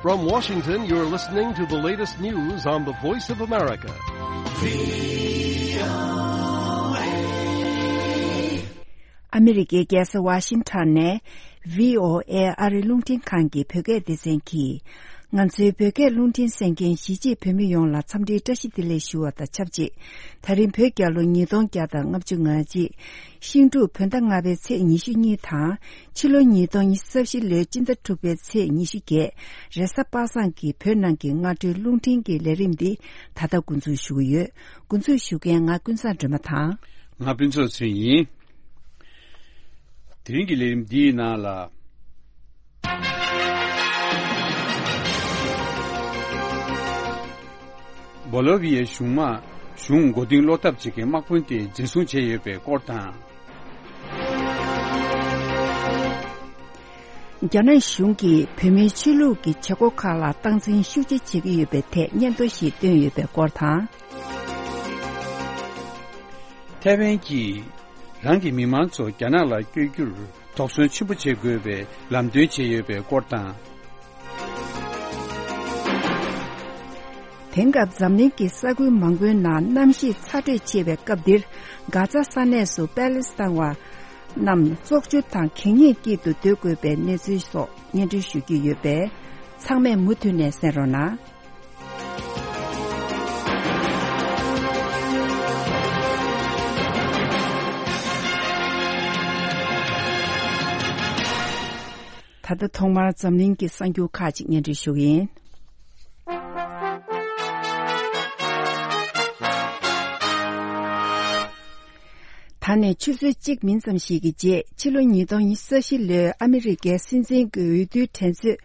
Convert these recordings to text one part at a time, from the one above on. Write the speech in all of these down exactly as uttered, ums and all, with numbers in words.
From Washington, you're listening to the latest news on the Voice of America. ཨ་མི་རི་ཀའི་རྒྱལ་ས་ཝ་ཤིང་ཊོན་ནས་བྷི་ཨོ་ཨེ་ཨ་རི་རླུང་འཕྲིན་ཁང་གི་བོད་སྐད་སྡེ་ཚན་གྱིས། ང་ཚོའི་བོད་སྐད་རླུང་འཕྲིན་གསན་མཁན་གཞིས་བྱེས་བོད་མི་ཡོངས་ལ་འཚམས་འདྲིའི་བཀྲ་ཤིས་བདེ་ལེགས་ཞུ་བ་དང་ཆབས་ཅིག་ད་རིང་བོད་རྒྱལ་ལོ་ཉིས་སྟོང་བརྒྱ་དང་ལྔ་བཅུ་ང་གཅིག་ཤིང་འབྲུག་བོད་ཟླ་ལྔ་པའི་ཚེས་ཉི་ཤུ་གཉིས་དང་། ཕྱི་ལོ་ཉིས་སྟོང་ཉི་ཤུ་རྩ་བཞི་ལོའི་སྤྱི་ཟླ་དྲུག་པའི་ཚེས་ཉི་ཤུ་བརྒྱད། རེས་གཟའ་པ་སངས་ཀྱི་བོད་ནང་གི་སྔ་དྲོའི་རླུང་འཕྲིན་གྱི་ལས་རིམ་འདི་ད་ལྟ་འགོ་འཛུགས་ཞུ་གི་ཡོད། འགོ་འཛུགས་ཞུ་མཁན་ང་ཀུན་བཟང་སྒྲོལ་མ་དང་། ང་ཕུན་ཚོགས་ཚེ་རིང་ཡིན། དེ་རིང་གི་ལས་རིམ་འདིའི་ནང་ལ། སྦོ་ལོ་བི་ཡའི་གཞུང་དམག་གཞུང་མགོ་རྟིང་སློག་ཐབས་བྱེད་མཁན་དམག་དཔོན་དེ་འཛིན་བཟུང་བྱས་ཡོད་པའི་སྐོར་དང་། རྒྱ་ནག་གཞུང་གིས་བོད་མིའི་ཆོས་ལུགས་ཀྱི་བྱེད་སྒོ་ཁག་ལ་སྟངས་འཛིན་ཤུགས་ཆེ་བྱེད་ཀྱི་ཡོད་པའི་ཐད་སྙན་ཐོ་ཞིག་བཏོན་ཡོད་པའི་སྐོར་དང་། ཐའེ་ཝན་གྱིས་རང་གི་མི་མང་ཚོ་རྒྱ་ནག་ལ་བསྐྱོད་རྒྱུར་དོགས་ཟོན་ཆེན་པོ་བྱེད་དགོས་པའི་ལམ་སྟོན་བྱས་ཡོད་པའི་སྐོར་དང་། དེང་སྐབས་འཛམ་གླིང་གི་ས་ཁུལ་མང་པོའི་ནང་གནམ་གཤིས་ཚ་དྲོད་ཆེ་བའི་སྐབས་འདིར། གྷ་ཛ་ས་གནས་སུ་པེ་ལེ་སི་ཐན་བ་རྣམས་བཙོག་ཆུ་དང་གད་སྙིགས་དཀྱིལ་དུ་སྡོད་དགོས་པའི་གནས་ཚུལ་སོགས་སྙན་སྒྲོན་ཞུ་རྒྱུ་ཡོད་པས། ཚང་མས་མུ་མཐུད་ནས་གསན་རོགས་གནང་། ད་ལྟ་ཐོག་མར་འཛམ་གླིང་གི་གསར་འགྱུར་ཁག་ཅིག་སྙན་སྒྲོན་ཞུ་གི་ཡིན། ད་ནས་ཆུ་ཚོད་གཅིག་མིན་ཙམ་ཞིག་གི་རྗེས། ཕྱི་ལོ་ཉིས་སྟོང་ཉི་ཤུ་རྩ་བཞི་ལོའི་ཨ་མི་རི་ཀའི་སྲིད་འཛིན་གྱི་འོས་བསྡུའི་འགྲན་རྩོད་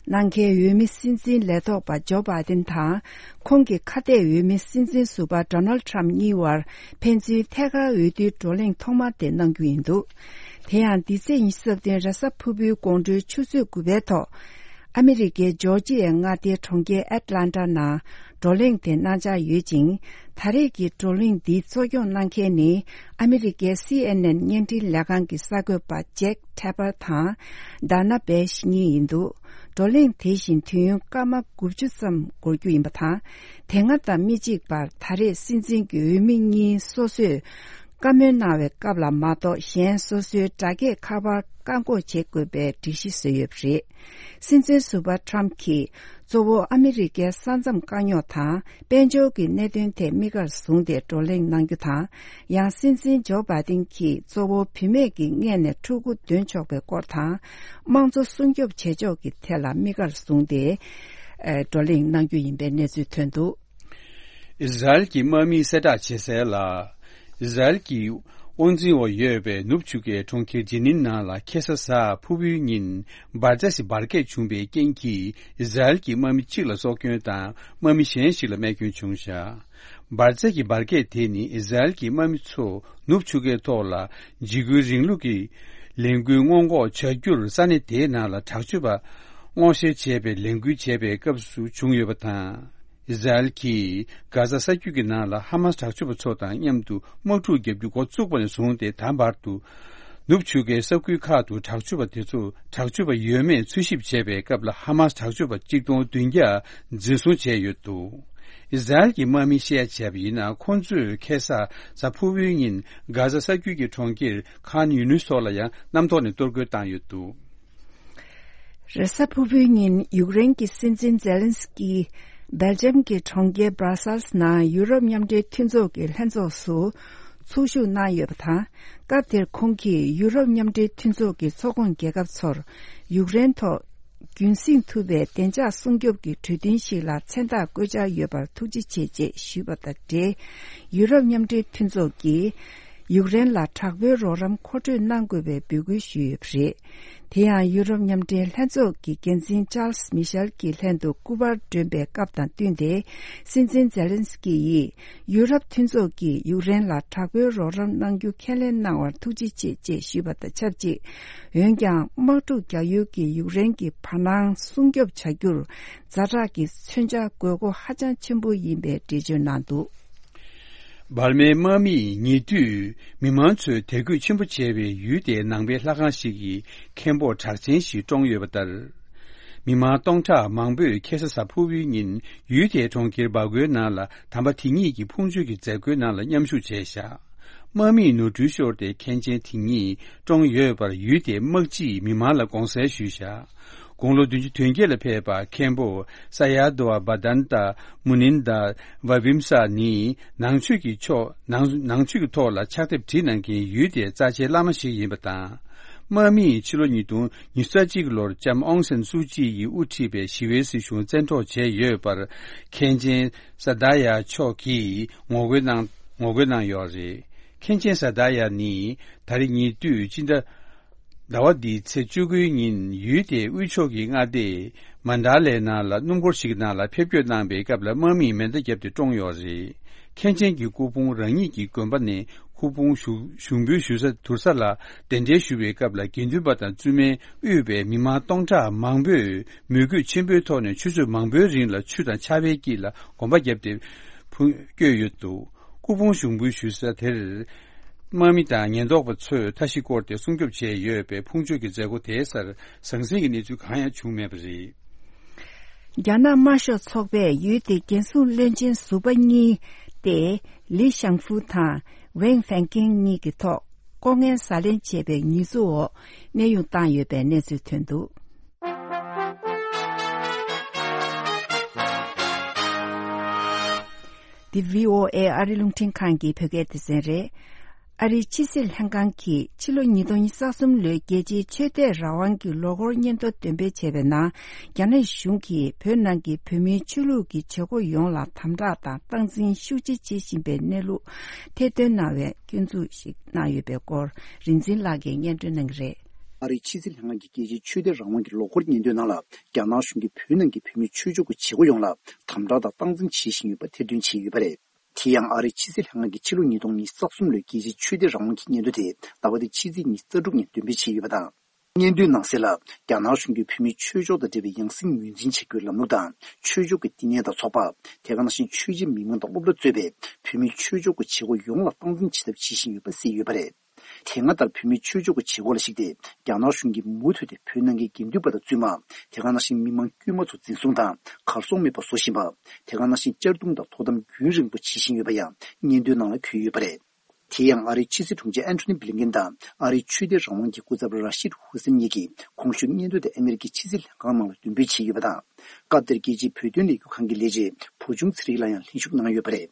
གནང་མཁན་འོས་མི་སྲིད་འཛིན་ལས་ཐོག་པ་ཇོ་བྷའི་ཏིན་དང་། ཁོང་གི་ཁ་གཏད་འོས་མི་སྲིད་འཛིན་ཟུར་པ་ཌོ་ནལ་ཌི་ཊརམ་ཕ་གཉིས་བར་ཕན་ཚུན་ཐད་ཀར་འོས་བསྡུའི་བགྲོ་གླེང་ཐོག་མ་དེ་གནང་རྒྱུ་ཡིན་འདུག་དེ་ཡང་འདི་ཚེས་ཉི་ཤུ་རྩ་བདུན་རེས་གཟའ་ཕུར་བུའི་དགོང་དྲོའི་ཆུ་ཚོད་དགུ་པའི་ཐོག་ཨ་མི་རི་ཀའི་ཇོར་ཇི་ཡའི་མངའ་སྡེའི་གྲོང་ཁྱེར་ཨེཊ་ལན་ཊ་ནང་བགྲོ་གླེང་དེ་གནང་འཆར་ཡོད་ཅིང་། ད་རེས་ཀྱི་བགྲོ་གླེང་འདི་གཙོ་སྐྱོང་གནང་མཁན་ནི་ཨ་མི་རི་ཀའི་སི་ཨེན་ཨེན་བརྙན་འཕྲིན་ལས་ཁང་གི་གསར་འགོད་པ་ཇེག་ཐེ་པར་དང་ཌ་ན་བྷེ་ཤི་གཉིས་ཡིན་འདུག་བགྲོ་གླེང་དེ་བཞིན་དུས་ཡུན་སྐར་མ་དགུ་བཅུ་ཙམ་འགོར་རྒྱུ་ཡིན་པ་དང་། དེ་སྔ་དང་མི་གཅིག་པར་ད་རེས་སྲིད་འཛིན་གྱི་འོས་མི་གཉིས་སོ་སོས་བཀའ་མོལ་གནང་བའི་སྐབས་ལ་མ་གཏོགས། གཞན་སོ་སོའི་སྒྲ་སྐྱེད་ཁ་པར་བཀག་འགོག་བྱེད་དགོས་པའི་སྒྲིག་གཞི་བཟོས་ཡོད་པ་རེད། སྲིད་འཛིན་ཟུར་པ་ཊརམ་གྱིས་གཙོ་བོ་ཨ་མི་རི་ཀའི་ས་མཚམས་དཀའ་རྙོག་དང་། དཔལ་འབྱོར་གྱི་གནད་དོན་ཐད་དམིགས་བཀར་བཟུང་སྟེ་བགྲོ་གླེང་གནང་རྒྱུ་དང་། ཡང་སྲིད་འཛིན་ཇོ་བྷའི་ཏིན་གྱིས་གཙོ་བོ་བུད་མེད་ཀྱི་མངལ་ནས་ཕྲུ་གུ་འདོན་ཆོག་པའི་སྐོར་དང་། དམངས་གཙོ་སྲུང་སྐྱོབ་བྱེད་ཕྱོགས་ཀྱི་ཐད་ལ་དམིགས་བཀར་བཟུང་སྟེ། ཨེ། བགྲོ་གླེང་གནང་རྒྱུ་ཡིན་པའི་གནས་ཚུལ་ཐོན་འདུག་ཨི་ཟ་རེལ་གྱི་དམག་མིས་གསལ་བསྒྲགས་བྱས་གསལ་ལ། ཨི་ཟ་རེལ་གྱི་དབང་འཛིན་འོག་ཡོད་པའི་ནུབ་ཆུ་ཁའི་གྲོང་ཁྱེར་ཇི་ནིན་ནང་ལ་ཁ་སང་གཟའ་ཕུར་བུའི་ཉིན་འབར་རྫས་ཤིག་འབར་གས་བྱུང་བའི་རྐྱེན་གྱིས། ཨི་ཟ་རེལ་གྱི་དམག་མི་གཅིག་ལ་སྲོག་སྐྱོན་དང་། དམག་མི་གཞན་ཞིག་ལ་རྨས་སྐྱོན་བྱུང་བཞག་འབར་རྫས་ཀྱི་འབར་གས་དེ་ནི་ཨི་ཟ་རེལ་གྱི་དམག་མི་ཚོ་ནུབ་ཆུ་ཁའི་ཐོག་ལ་འཇིགས་སྐུལ་རིང་ལུགས་ཀྱི་ལས་འགུལ་སྔོན་འགོག་བྱ་རྒྱུར་ས་གནས་དེའི་ནང་ལ་དྲག་སྤྱོད་པ་སྔོག་བཤེར་བྱས་པའི་ལས་འགུལ་བྱས་པའི་སྐབས་སུ་བྱུང་ཡོད་པ་དང་། ཨི་ཟ་རེལ་གྱིས་གྷ་ཛ་ས་རྒྱུད་ཀྱི་ནང་ལ་ཧ་མཱས་དྲག་སྤྱོད་པ་ཚོ་དང་མཉམ་དུ་དམག་འཁྲུག་བརྒྱབ་རྒྱུ་འགོ་བཙུགས་པ་ནས་བཟུང་སྟེ། ད་བར་དུ་ནུབ་ཆུ་ཁའི་ས་ཁུལ་ཁག་ཏུ་དྲག་སྤྱོད་པ་དེ་ཚོ་དྲག་སྤྱོད་པ་ཡོད་མེད་འཚོལ་ཞིབ་བྱས་པའི་སྐབས་ལ། ཧ་མཱས་དྲག་སྤྱོད་པ་གཅིག་སྟོང་བདུན་བརྒྱ་འཛིན་བཟུང་བྱས་ཡོད་འདུག་ཨི་ཟ་རེལ་གྱི་དམག་མིས་བཤད་ཡ་བྱས་པ་ཡིན་ན། ཁོང་ཚོས་ཁ་སང་གཟའ་ཕུར་བུའི་ཉིན་གྷ་ཛ་ས་རྒྱུད་ཀྱི་གྲོང་ཁྱེར་ཁཱན་ཡུ་ནུས་སོགས་ལ་ཡང་གནམ་ཐོག་ནས་གཏོར་རྒོལ་བཏང་ཡོད་འདུག་རེས་གཟའ་ཕུར་བུའི་ཉིན་ཡུཀ་རེན་གྱི་སྲིད་འཛིན་ཛེ་ལན་སི་ཀི་སྦེལ་ཇམ་གྱི་གྲོང་ཁྱེར་སྦྲ་སལ་སི་ནང་ཡུ་རོབ་མཉམ་འབྲེལ་མཐུན་ཚོགས་ཀྱི་ལྷན་ཚོགས་སུ་ཚོགས་ཞུགས་གནང་ཡོད་པ་དང་། སྐབས་དེར་ཁོང་གིས་ཡུ་རོབ་མཉམ་འབྲེལ་མཐུན་ཚོགས་ཀྱི་ཚོགས་ཁོངས་རྒྱལ་ཁབ་ཚོར་ཡུཀ་རེན་ཐོག་རྒྱུན་སྲིང་ཐུབ་པའི་བདེ་འཇགས་སྲུང་སྐྱོབ་ཀྱི་གྲོས་མཐུན་ཞིག་ལ་མཚན་རྟགས་བཀོད་འཆར་ཡོད་པར་ཐུགས་རྗེ་ཆེ་ཅེས་ཞུས་པ་དང་འབྲེལ། ཡུ་རོབ་མཉམ་འབྲེལ་མཐུན་ཚོགས་ཀྱིས་ཡུཀ་རེན་ལ་དྲག་པོའི་རོགས་རམ་མཁོ་སྤྲོད་གནང་དགོས་པའི་འབོད་སྐུལ་ཞུས་ཡོད་པ་རེད། དེ་ཡང་ཡུ་རོབ་མཉམ་འབྲེལ་ལྷན་ཚོགས་ཀྱི་འགན་འཛིན་ཅཱལ་སི་མི་ཤེལ་གྱི་ལྷན་དུ་སྐུ་པར་བསྒྲོན་པའི་སྐབས་དང་བསྟུན་ཏེ། སྲིད་འཛིན་ཛེ་ལན་སི་ཀི་ཡིས་ཡུ་རོབ་མཐུན་ཚོགས་ཀྱིས་ཡུཀ་རེན་ལ་དྲག་པོའི་རོགས་རམ་གནང་རྒྱུ་ཁས་ལེན་གནང་བར་ཐུགས་རྗེ་ཆེ་ཅེས་ཞུས་པ་དང་ཆབས་ཅིག་འོན་ཀྱང་དམག་འཁྲུག་རྒྱག་ཡུལ་གྱི་ཡུཀ་རེན་གྱི་བར་སྣང་སྲུང་སྐྱོབ་བྱ་རྒྱུར་ཛ་དྲག་གི་མཚོན་ཆ་དགོས་མཁོ་ཧ་ཅང་ཆེན་པོ་ཡིན་པའི་འགྲེལ་བརྗོད་གནང་འདུག་འབར་མའི་དམག་མིས་ཉེ་དུས་མི་མང་ཚོས་དད་གུས་ཆེན་པོ་བྱེད་པའི་ཡུལ་དེའི་ནང་པའི་ལྷ་ཁང་ཞིག་གི་མཁན་པོ་གྲགས་ཅན་ཞིག་བཀྲོངས་ཡོད་པ་ལྟར། མི་མང་སྟོང་ཕྲག་མང་པོས་ཁ་སང་གཟའ་ཕུར་བུའི་ཉིན་ཡུལ་དེའི་གྲོང་ཁྱེར་སྦག་གོའི་ནང་ལ་དམ་པ་དེ་ཉིད་ཀྱི་ཕུང་མཆོད་ཀྱི་མཛད་སྒོའི་ནང་ལ་མཉམ་ཞུགས་བྱས་བཞག་དམག་མིས་ནོར་འཁྲུལ་ཤོར་ཏེ་མཁན་ཆེན་དེ་ཉིད་བཀྲོངས་ཡོད་པར་ཡུལ་དེའི་དམག་སྤྱིས་མི་མང་ལ་དགོངས་སེལ་ཞུས་བཞག་དགུང་ལོ་བདུན་ཅུ་དོན་བརྒྱད་ལ་ཕེབས་པ་མཁན་པོ་ས་ཡ་དོ་བ་བ་དན་ཏ་མུ་ནིན་ད་བ་བིམ་ས་ནི་ནང་ཆོས་ཀྱི་ཕྱོགས་ནང་ནང་ཆོས་ཀྱི་ཐོག་ལ་ཕྱག་དེབ་བྲིས་གནང་མཁན་ཡུལ་དེའི་རྩ་ཆེའི་བླ་མ་ཞིག་ཡིན་པ་དང་། དམག་མིས་ཕྱི་ལོ་ཉིས་སྟོང་ཉི་ཤུ་རྩ་གཅིག་ལོར་ལྕམ་ཨོང་སན་སུའུ་ཅི་ཡིས་དབུ་ཁྲིད་པའི་ཞི་བའི་སྲིད་གཞུང་བཙན་འཕྲོག་བྱས་ཡོད་པར་མཁན་ཆེན་ས་ད་ཡ་མཆོག་གིས་ངོ་རྒོལ་གནང་ངོ་རྒོལ་གནང་ཡོད་རེད། མཁན་ཆེན་ས་ད་ཡ་ནི་ད་རེས་ཉེ་དུས་སྤྱི་ཟླ་ཟླ་བ་འདིའི་ཚེས་བཅུ་དགུའི་ཉིན་ཡུལ་དེའི་དབུས་ཕྱོགས་ཀྱི་མངའ་སྡེ་མན་ཌ་ལའི་ནང་ལ་སྣུམ་འཁོར་ཞིག་ནང་ལ་ཕེབས་སྐྱོད་གནང་པའི་སྐབས་ལ་དམག་མིས་མེ་མདའ་བརྒྱབ་སྟེ་བཀྲོངས་ཡོད་རེད། མཁན་ཆེན་གྱི་སྐུ་ཕུང་རང་ཉིད་ཀྱི་དགོན་པ་ནས་སྐུ་ཕུང་ཞུགས་ཞུགས་འབུལ་ཞུ་ས་དུར་ས་ལ་གདན་འདྲེན་ཞུ་བའི་སྐབས་ལ་དགེ་འདུན་པ་དང་བཙུན་མས་དབུས་པའི་མི་མང་སྟོང་ཕྲག་མང་པོས་མོས་གུས་ཆེན་པོའི་ཐོག་ནས་ཆུ་ཚོད་མང་པོའི་རིང་ལ་ཆུ་དང་ཆར་པའི་དཀྱིལ་ལ་གོམ་པ་བརྒྱབ་སྟེ་ཕུ་བསྐྱོད་ཡོད་འདུག་སྐུ་ཕུང་ཞུགས་འབུལ་ཞུ་ས་དེར་དམག་མི་དང་ཉེན་རྟོག་པ་ཚོས་མཐའ་བཞི་བསྐོར་ཏེ་སྲུང་སྐྱོབ་བྱས་ཡོད་པའི་ཕུང་མཆོད་ཀྱི་མཛད་སྒོ་དེའི་སར་ཟང་ཟིང་གི་གནས་ཚུལ་གང་ཡང་བྱུང་མེད་པ་རེད། རྒྱ་ནག་དམར་ཤོག་ཚོགས་པས་ཡུལ་དེའི་རྒྱལ་སྲུང་བློན་ཆེན་ཟུར་པ་གཉིས་ཏེ་ལི་ཞང་ཧྥུ་དང་ཝེང་ཧྥེང་ཀེང་གཉིས་ཀྱི་ཐོག་ལྐོག་རྔན་ཟ་ལེན་བྱས་པའི་ཉེས་འཛུགས་འོག་གནས་དབྱུང་བཏང་ཡོད་པའི་གནས་ཚུལ་ཐོན་འདུག་འདི་བྷི་ཨོ་ཨེ་ཨ་རི་རླུང་འཕྲིན་ཁང་གི་བོད་སྐད་སྡེ་ཚན་རེད། ཨ་རིའི་ཕྱི་སྲིད་ལྷན་ཁང་གིས་ཕྱི་ལོ་ཉིས་སྟོང་ཉི་ཤུ་རྩ་གསུམ་ལོའི་རྒྱལ་སྤྱིའི་ཆོས་དད་རང་དབང་གི་ལོ་འཁོར་སྙན་ཐོ་འདོན་སྤེལ་བྱས་པའི་ནང་། རྒྱ་ནག་གཞུང་གིས་བོད་ནང་གི་བོད་མིའི་ཆོས་ལུགས་ཀྱི་བྱེད་སྒོ་ཡོངས་ལ་དམ་དྲག་དང་སྟངས་འཛིན་ཤུགས་ཆེ་བྱེད་བཞིན་པའི་གནས་ལུགས་ཐེར་འདོན་གནང་བའི་སྐྱོན་འཛུགས་ཤིག་གནང་ཡོད་པའི་སྐོར་རིག་འཛིན་ལགས་ཀྱིས་སྙན་སྒྲོན་གནང་གི་རེད། ཨ་རིའི་ཕྱི་སྲིད་ལྷན་ཁང་གི་རྒྱལ་སྤྱིའི་ཆོས་དད་རང་དབང་གི་ལོ་འཁོར་སྙན་ཐོའི་ནང་ལ། རྒྱ་ནག་གཞུང་གིས་བོད་ནང་གི་བོད་མིའི་ཆོས་ཕྱོགས་ཀྱི་བྱེད་སྒོ་ཡོངས་ལ་དམ་དྲག་དང་སྟངས་འཛིན་བྱེད་བཞིན་ཡོད་པ་ཐེར་འདོན་བྱས་ཡོད་པ་རེད། དེ་ཡང་ཨ་རིའི་ཕྱི་སྲིད་ལྷན་ཁང་གི་ཕྱི་ལོ་ཉིས་སྟོང་ཉི་ཤུ་རྩ་གསུམ་ལོའི་རྒྱལ་སྤྱིའི་ཆོས་དད་རང་དབང་གི་སྙན་ཐོ་དེ་ཟླ་བ་འདིའི་ཕྱི་ཚེས་ཉི་ཤུ་རྩ་དྲུག་ཉིན་འདོན་སྤེལ་བྱས་ཡོད་པ་དང་། སྙན་ཐོའི་ནང་གསལ་ལ། རྒྱ་ནག་གཞུང་གིས་བོད་མིའི་ཆོས་ཕྱོགས་དང་འབྲེལ་བའི་ཡང་སྲིད་ངོས་འཛིན་བྱ་རྒྱུའི་ལམ་ལུགས་དང་། ཆོས་ཕྱོགས་ཀྱི་བསྟི་གནས་དང་ཚོགས་པ། དེ་ག་ནང་བཞིན་ཆོས་བྱེད་མི་མང་དང་སློབ་གྲྭ་གཙོས་པའི་བོད་མིའི་ཆོས་ཕྱོགས་ཀྱི་བྱེད་སྒོ་ཡོངས་ལ་སྟངས་འཛིན་བྱེད་ཐབས་བྱེད་བཞིན་ཡོད་པ་གསལ་ཡོད་པ་རེད། དེ་སྔ་ལྟར་བོད་མིའི་ཆོས་ཕྱོགས་ཀྱི་བྱེད་སྒོ་ལ་གཞིགས་ཏེ། རྒྱ་ནག་གཞུང་གིས་མུ་མཐུད་དེ་བོད་ནང་གི་དགེ་འདུན་པ་དང་བཙུན་མ། དེ་ག་ནང་བཞིན་མི་མང་དཀྱུས་མ་ཚོ་འཛིན་བཟུང་དང་གར་སོང་མེད་པ་བཟོ་བཞིན་པ། དེ་ག་ནང་བཞིན་གཅར་རྡུང་དང་དོ་དམ་རྒྱུན་རིང་པོ་བྱེད་བཞིན་ཡོད་པ་ཡང་སྙན་ཐོའི་ནང་ལ་འཁོད་ཡོད་པ་རེད། དེ་ཡང་ཨ་རིའི་ཕྱི་སྲིད་དྲུང་ཆེ་ཨན་ཐོ་ནི་བྷི་ལིན་ཀེན་དང་ཨ་རིའི་ཆོས་དད་རང་དབང་གི་སྐུ་ཚབ་ར་ཤིད་ཧུ་སེན་གཉིས་ཀྱིས་གོང་ཞུས་སྙན་ཐོ་དེ་ཨ་མེ་རི་ཀའི་ཕྱི་སྲིད་ལྷན་ཁང་ནང་ལ་འདོན་སྤེལ་བྱས་ཡོད་པ་དང་། སྐབས་དེར་རྒྱལ་སྤྱིའི་བོད་དོན་ལས་འགུལ་ཁང་གི་ལས་བྱེད་བུ་ཆུང་ཚེ་རིང་ལགས་ཡང་ལྷན་ཞུགས་གནང་ཡོད་པ་རེད།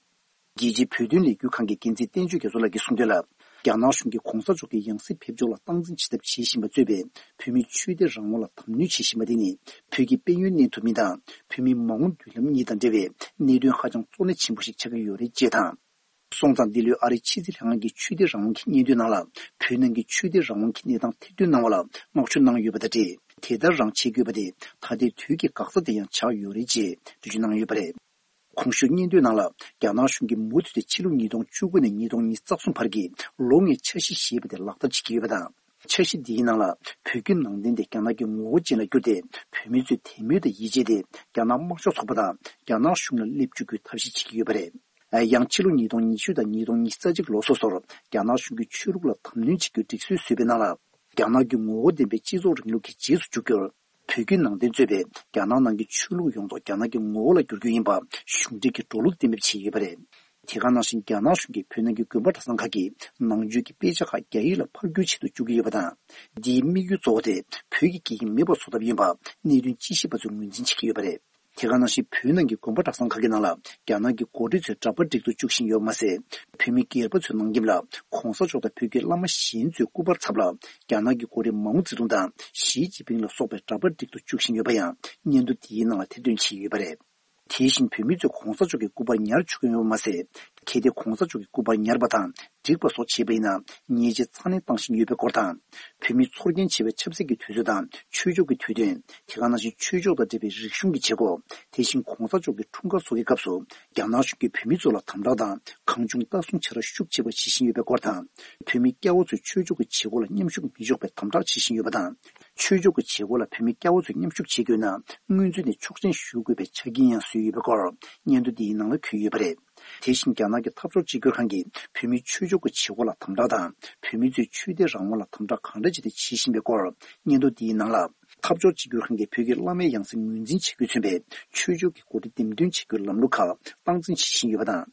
རྒྱལ་སྤྱིའི་བོད་དོན་ལས་འགུལ་ཁང་གི་འགན་འཛིན་བསྟན་ཆོས་རྒྱ་མཚོ་ལགས་ཀྱིས་གསུངས་དོན་ལ། རྒྱ་ནག་གཞུང་གིས་གོང་ས་མཆོག་གི་ཡང་སྲིད་ཕེབས་ཕྱོགས་ལ་སྟངས་འཛིན་བྱེད་ཐབས་བྱེད་བཞིན་པ་གཙོས་པའི་བོད་མིའི་ཆོས་དད་རང་དབང་ལ་དམ་གནོན་བྱེད་བཞིན་པ་དེ་ནི་བོད་ཀྱི་དཔལ་ཡོན་གནས་ཐུབ་མིན་དང་བོད་མིའི་མ་འོངས་མདུན་ལམ་གཉིས་དང་འབྲེལ་བའི་གནད་དོན་ཧ་ཅང་གཙོ་གནད་ཆེན་པོ་ཞིག་ཆགས་ཀྱི་ཡོད་རེད་ཅེས་དང་། སོང་ཙང་འདི་ལོའི་ཨ་རིའི་ཕྱི་སྲིད་ལྷན་ཁང་གི་ཆོས་དད་རང་དབང་གི་སྙན་ཐོའི་ནང་ལ་བོད་ནང་གི་ཆོས་དད་རང་དབང་གི་གནས་སྟངས་ཐེར་འདོན་གནང་བ་ལ་བསྔགས་བརྗོད་གནང་ཡོད་པ་དང་འབྲེལ། དེ་ལྟར་རང་བྱེད་དགོས་པ་དེ་ད་ལྟའི་དུས་ཀྱི་འགག་རྩ་དེ་ཡང་ཆགས་ཡོད་རེད་ཅེས་འགྲེལ་བརྗོད་གནང་ཡོད་པ་རེད། གོང་ཞུས་སྙན་ཐོའི་ནང་ལ། རྒྱ་ནག་གཞུང་གིས་མུ་མཐུད་དེ་ཕྱི་ལོ་ཉིས་སྟོང་བཅུ་དགུ་ནས་ཉིས་སྟོང་ཉི་ཤུ་རྩ་གསུམ་བར་གྱི་ལོ་ལྔའི་འཆར་གཞི་ཞེས་པ་དེ་ལག་བསྟར་བྱེད་ཀྱི་ཡོད་པ་དང་། འཆར་གཞི་འདིའི་ནང་ལ་བོད་བརྒྱུད་ནང་བསྟན་དེ་རྒྱ་ནག་གི་ངོ་བོ་ཅན་ལ་བསྒྱུར་ཏེ། བོད་མི་ཚོས་དད་མོས་དང་ཡིད་ཆེས་དེ་རྒྱ་ནག་དམར་ཤོག་ཚོགས་པ་དང་རྒྱ་ནག་གཞུང་ལ་སླེབས་བཅུག་རྒྱུའི་ཐབས་ཤེས་བྱེད་ཀྱི་ཡོད་པ་རེད། ཡང་ཕྱི་ལོ་ཉིས་སྟོང་ཉི་ཤུ་དང་ཉིས་སྟོང་ཉི་ཤུ་རྩ་གཅིག་ལོ་སོ་སོར་རྒྱ་ནག་གཞུང་གིས་ཆོས་ལུགས་ལ་དམ་གནོན་བྱེད་རྒྱུའི་སྒྲིག་སྲོལ་བཟོས་པའི་ནང་ལ། རྒྱ་ནག་གི་ངོ་བོ་ལྡན་པའི་སྤྱི་ཚོགས་རིང་ལུགས་ཀྱི་རྗེས་སུ་འཇུག་རྒྱུར། བོད་བརྒྱུད་ནང་བསྟན་གཙོས་པའི་རྒྱ་ནག་ནང་གི་ཆོས་ལུགས་ཡོངས་རྫོགས་རྒྱ་ནག་གི་ངོ་བོ་ལ་བསྒྱུར་རྒྱུ་ཡིན་པ་གཞུང་འབྲེལ་གྱི་འགྲོ་ལུགས་གཏན་འབེབས་བྱས་ཡོད་པ་རེད། དེ་ག་ནང་བཞིན་རྒྱ་ནག་གཞུང་གིས་བོད་ནང་གི་དགོན་པ་གྲྭ་ཚང་ཁག་གི་ནང་ཆོས་ཀྱི་དཔེ་ཆ་ཁག་རྒྱ་ཡིག་ལ་ཕབ་བསྒྱུར་བྱེད་དུ་བཅུག་གི་ཡོད་པ་དང་། འདིའི་དམིགས་ཡུལ་གཙོ་བོ་དེ་བོད་ཀྱི་སྐད་ཡིག་མེད་པ་བཟོ་ཐབས་ཡིན་པ་གནད་དོན་དཔྱད་ཞིབ་པ་ཚོས་ངོས་འཛིན་བྱེད་ཀྱི་ཡོད་པ་རེད། དེ་ག་ནང་བཞིན་བོད་ནང་གི་དགོན་པ་གྲྭ་ཚང་ཁག་གི་ནང་ལ་རྒྱ་ནག་གི་འགོ་ཁྲིད་ཚོས་འདྲ་པར་སྒྲིག་ཏུ་བཅུག་བཞིན་ཡོད་པ་མ་ཟད། བོད་མི་སྒེར་པ་ཚོའི་ནང་ཁྱིམ་ལ་གོང་ས་མཆོག་དང་བོད་ཀྱི་བླ་མ་གཞན་ཚོའི་སྐུ་པར་ཚབ་ལ་རྒྱ་ནག་གི་འགོ་ཁྲིད་མའོ་ཙེ་ཏུང་དང་ཞི་ཅིན་ཕིང་ལ་སོགས་པའི་འདྲ་པར་སྒྲིག་ཏུ་བཅུག་བཞིན་ཡོད་པ་ཡང་སྙན་ཐོ་འདིའི་ནང་ལ་ཐེར་འདོན་བྱས་ཡོད་པ་རེད། དེ་བཞིན་བོད་མི་ཚོས་གོང་ས་མཆོག་གི་སྐུ་པར་ཉར་ཆོག་གི་ཡོད་པ་མ་ཟད། གལ་ཏེ་གོང་ས་མཆོག་གི་སྐུ་པར་ཉར་པ་དང་། བསྒྲིགས་པ་སོགས་བྱས་པ་ཡིན་ན་ཉེས་ཆད་ཚ་ནན་བཏང་བཞིན་ཡོད་པའི་སྐོར་དང་། བོད་མིའི་ཚོར་སྐྱེན་ཆེ་བའི་ཆབ་སྲིད་ཀྱི་དུས་ཚོད་དང་ཆོས་ཕྱོགས་ཀྱི་དུས་སྟོན། དེ་ག་ནང་བཞིན་ཆོས་ཕྱོགས་དང་འབྲེལ་བའི་རིག་གཞུང་གི་བྱེད་སྒོ། དེ་བཞིན་གོང་ས་མཆོག་གི་འཁྲུངས་སྐར་སོགས་ཀྱི་སྐབས་སུ་རྒྱ་ནག་གཞུང་གིས་བོད་མི་ཚོ་ལ་དམ་དྲག་དང་གང་བྱུང་ལྟ་སྲུང་བྱ་ར་ཤུགས་ཆེ་བ་བྱེད་བཞིན་ཡོད་པའི་སྐོར་དང་། བོད་མི་སྐྱ་བོ་ཚོས་ཆོས་ཕྱོགས་ཀྱི་བྱེད་སྒོ་ལ་མཉམ་ཞུགས་མི་ཆོག་པའི་དམ་དྲག་བྱེད་བཞིན་ཡོད་པ་དང་། ཆོས་ཕྱོགས་ཀྱི་བྱེད་སྒོ་ལ་བོད་མི་སྐྱ་བོ་ཚོས་མཉམ་ཞུགས་བྱེད་དགོས་ན། སྔོན་ཚུད་ནས་ཆོག་མཆན་ཞུ་དགོས་པའི་ཆ་རྐྱེན་ཡང་བཟོས་ཡོད་པའི་སྐོར་སྙན་ཐོ་འདིའི་ནང་ལ་འཁོད་ཡོད་པ་རེད། དེ་བཞིན་རྒྱ་ནག་གི་འཐབ་ཕྱོགས་གཅིག་གྱུར་ཁང་གིས་བོད་མིའི་ཆོས་ཕྱོགས་ཀྱི་བྱེད་སྒོ་ལ་དམ་དྲག་དང་། བོད་མི་ཚོས་ཆོས་དད་རང་དབང་ལ་དམ་དྲག་གང་འདྲ་བྱས་ཏེ་བྱེད་བཞིན་པའི་སྐོར་སྙན་ཐོ་འདིའི་ནང་ལ། འཐབ་ཕྱོགས་གཅིག་གྱུར་ཁང་གིས་བོད་ཀྱི་བླ་མའི་ཡང་སྲིད་ངོས་འཛིན་བྱེད་དགོས་མཚོན་པའི་ཆོས་ཕྱོགས་ཀྱི་འགོ་ཁྲིད་འདེམས་ཐོན་བྱེད་རྒྱུའི་ལམ་ལུགས་ཁག་སྟངས་འཛིན་བྱེད་བཞིན་ཡོད་པ་དང་།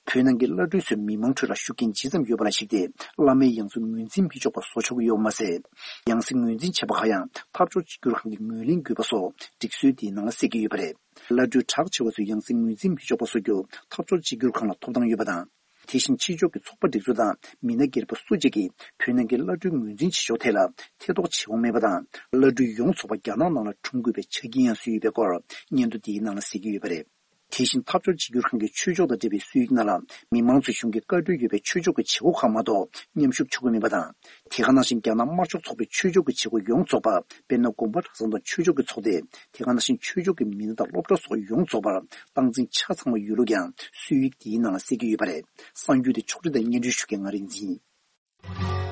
བོད་ནང་གི་བླ་སྤྲུལ་ཚོས་མི་མང་ཁྲོད་ལ་ཤུགས་རྐྱེན་ཇི་ཙམ་ཡོད་པ་ལ་གཞིགས་ཏེ། བླ་མའི་ཡང་སྲིད་ངོས་འཛིན་མི་ཆོག་པ་བཟོ་ཆོག་གི་ཡོད་པ་མ་ཟད། ཡང་སྲིད་ངོས་འཛིན་བྱེད་པ་ཁག་ཡང་འཐབ་ཕྱོགས་གཅིག་གྱུར་ཁང་གིས་ངོས་ལེན་དགོས་པ་སོགས་སྒྲིག་སྲོལ་དེའི་ནང་ལ་གསལ་གྱི་ཡོད་པ་རེད། བླ་སྤྲུལ་གྲགས་ཆེ་བ་ཚོས་ཡང་སྲིད་ངོས་འཛིན་མི་ཆོག་པ་བཟོ་རྒྱུར་འཐབ་ཕྱོགས་གཅིག་གྱུར་ཁང་ལ་ཐོབ་ཐང་ཡོད་པ་དང་། དེ་བཞིན་ཕྱི་ཕྱོགས་ཀྱི་ཚོགས་པ་སྒྲིག་འཛུགས་དང་མི་སྣ་སྒེར་པ་སུ་གཅིག་གིས་བོད་ནང་གི་བླ་སྤྲུལ་ངོས་འཛིན་བྱེད་ཕྱོགས་ཐད་ལ་ཐེ་གཏོགས་བྱེད་དབང་མེད་པ་དང་། བླ་སྤྲུལ་ཡོངས་རྫོགས་པ་རྒྱ་ནག་ནང་ལ་འཁྲུངས་དགོས་པའི་ཆ་རྐྱེན་ཡང་བཟོས་ཡོད་པའི་སྐོར་སྙན་ཐོ་འདིའི་ནང་ལ་གསལ་གྱི་ཡོད་པ་རེད། དེ་བཞིན་འཐབ་ཕྱོགས་གཅིག་གྱུར་ཁང་གིས་ཆོས་ཕྱོགས་དང་འབྲེལ་བའི་སྲོལ་ཡིག་ནང་ལ། མི་མང་ཚོས་གཞུང་གིས་བཀའ་འཁྲོལ་ཡོད་པའི་ཆོས་ཕྱོགས་ཀྱི་བྱེད་སྒོ་ཁག་མ་གཏོགས་མཉམ་ཞུགས་བྱེད་དགོས་མེད་པ་དང་། དེ་ག་ནང་བཞིན་རྒྱ་ནག་དམར་ཤོག་ཚོགས་པའི་ཆོས་ཕྱོགས་ཀྱི་བྱེད་སྒོ་ཡོངས་རྫོགས་པ། དཔེར་ན། དགོན་པ་གྲྭ་ཚང་དང་ཆོས་ཕྱོགས་ཀྱི་ཚོགས་སྡེ། དེ་ག་ནང་བཞིན་ཆོས་ཕྱོགས་ཀྱི་མི་སྣ་དང་སློབ་གྲྭ་སོགས་ཡོངས་རྫོགས་པར་སྟངས་འཛིན་ཆ་ཚང་བ་ཡོད་ལུགས་ཀྱང་སྲོལ་ཡིག་འདིའི་ནང་ལ་གསལ་གྱི་ཡོད་པ་རེད། གསར་འགྱུར་དེ་ཕྱོགས་སྒྲིག་དང་སྙན་སྒྲོན་ཞུ་མཁན་ང་རིག་འཛིན་ཡིན།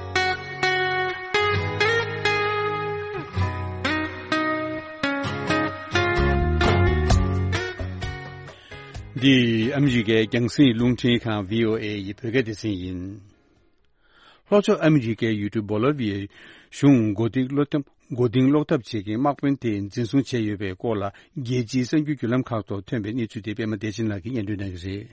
འདི་ཨ་མི་རི་ཀའི་རྒྱང་སྲིང་རླུང་འཕྲིན་ཁང་བྷི་ཨོ་ཨེ་ཡི་བོད་སྐད་སྡེ་ཚན་ཡིན། ལྷོ་ཕྱོགས་ཨ་མི་རི་ཀའི་ཡུལ་གྲུ་སྦོ་ལི་བི་ཡའི་གཞུང་མགོ་རྟིང་སློབ་ཐབས་མགོ་རྟིང་སློག་ཐབས་བྱེད་མཁན་དམག་དཔོན་དེ་འཛིན་བཟུང་བྱས་ཡོད་པའི་སྐོར་ལ། རྒྱལ་སྤྱིའི་གསར་འགྱུར་བརྒྱུད་ལམ་ཁག་ཐོག་ཐོན་པའི་གནས་ཚུལ་དེ་པད་མ་བདེ་ཆེན་ལགས་ཀྱིས་སྙན་སྒྲོན་གནང་གི་རེད།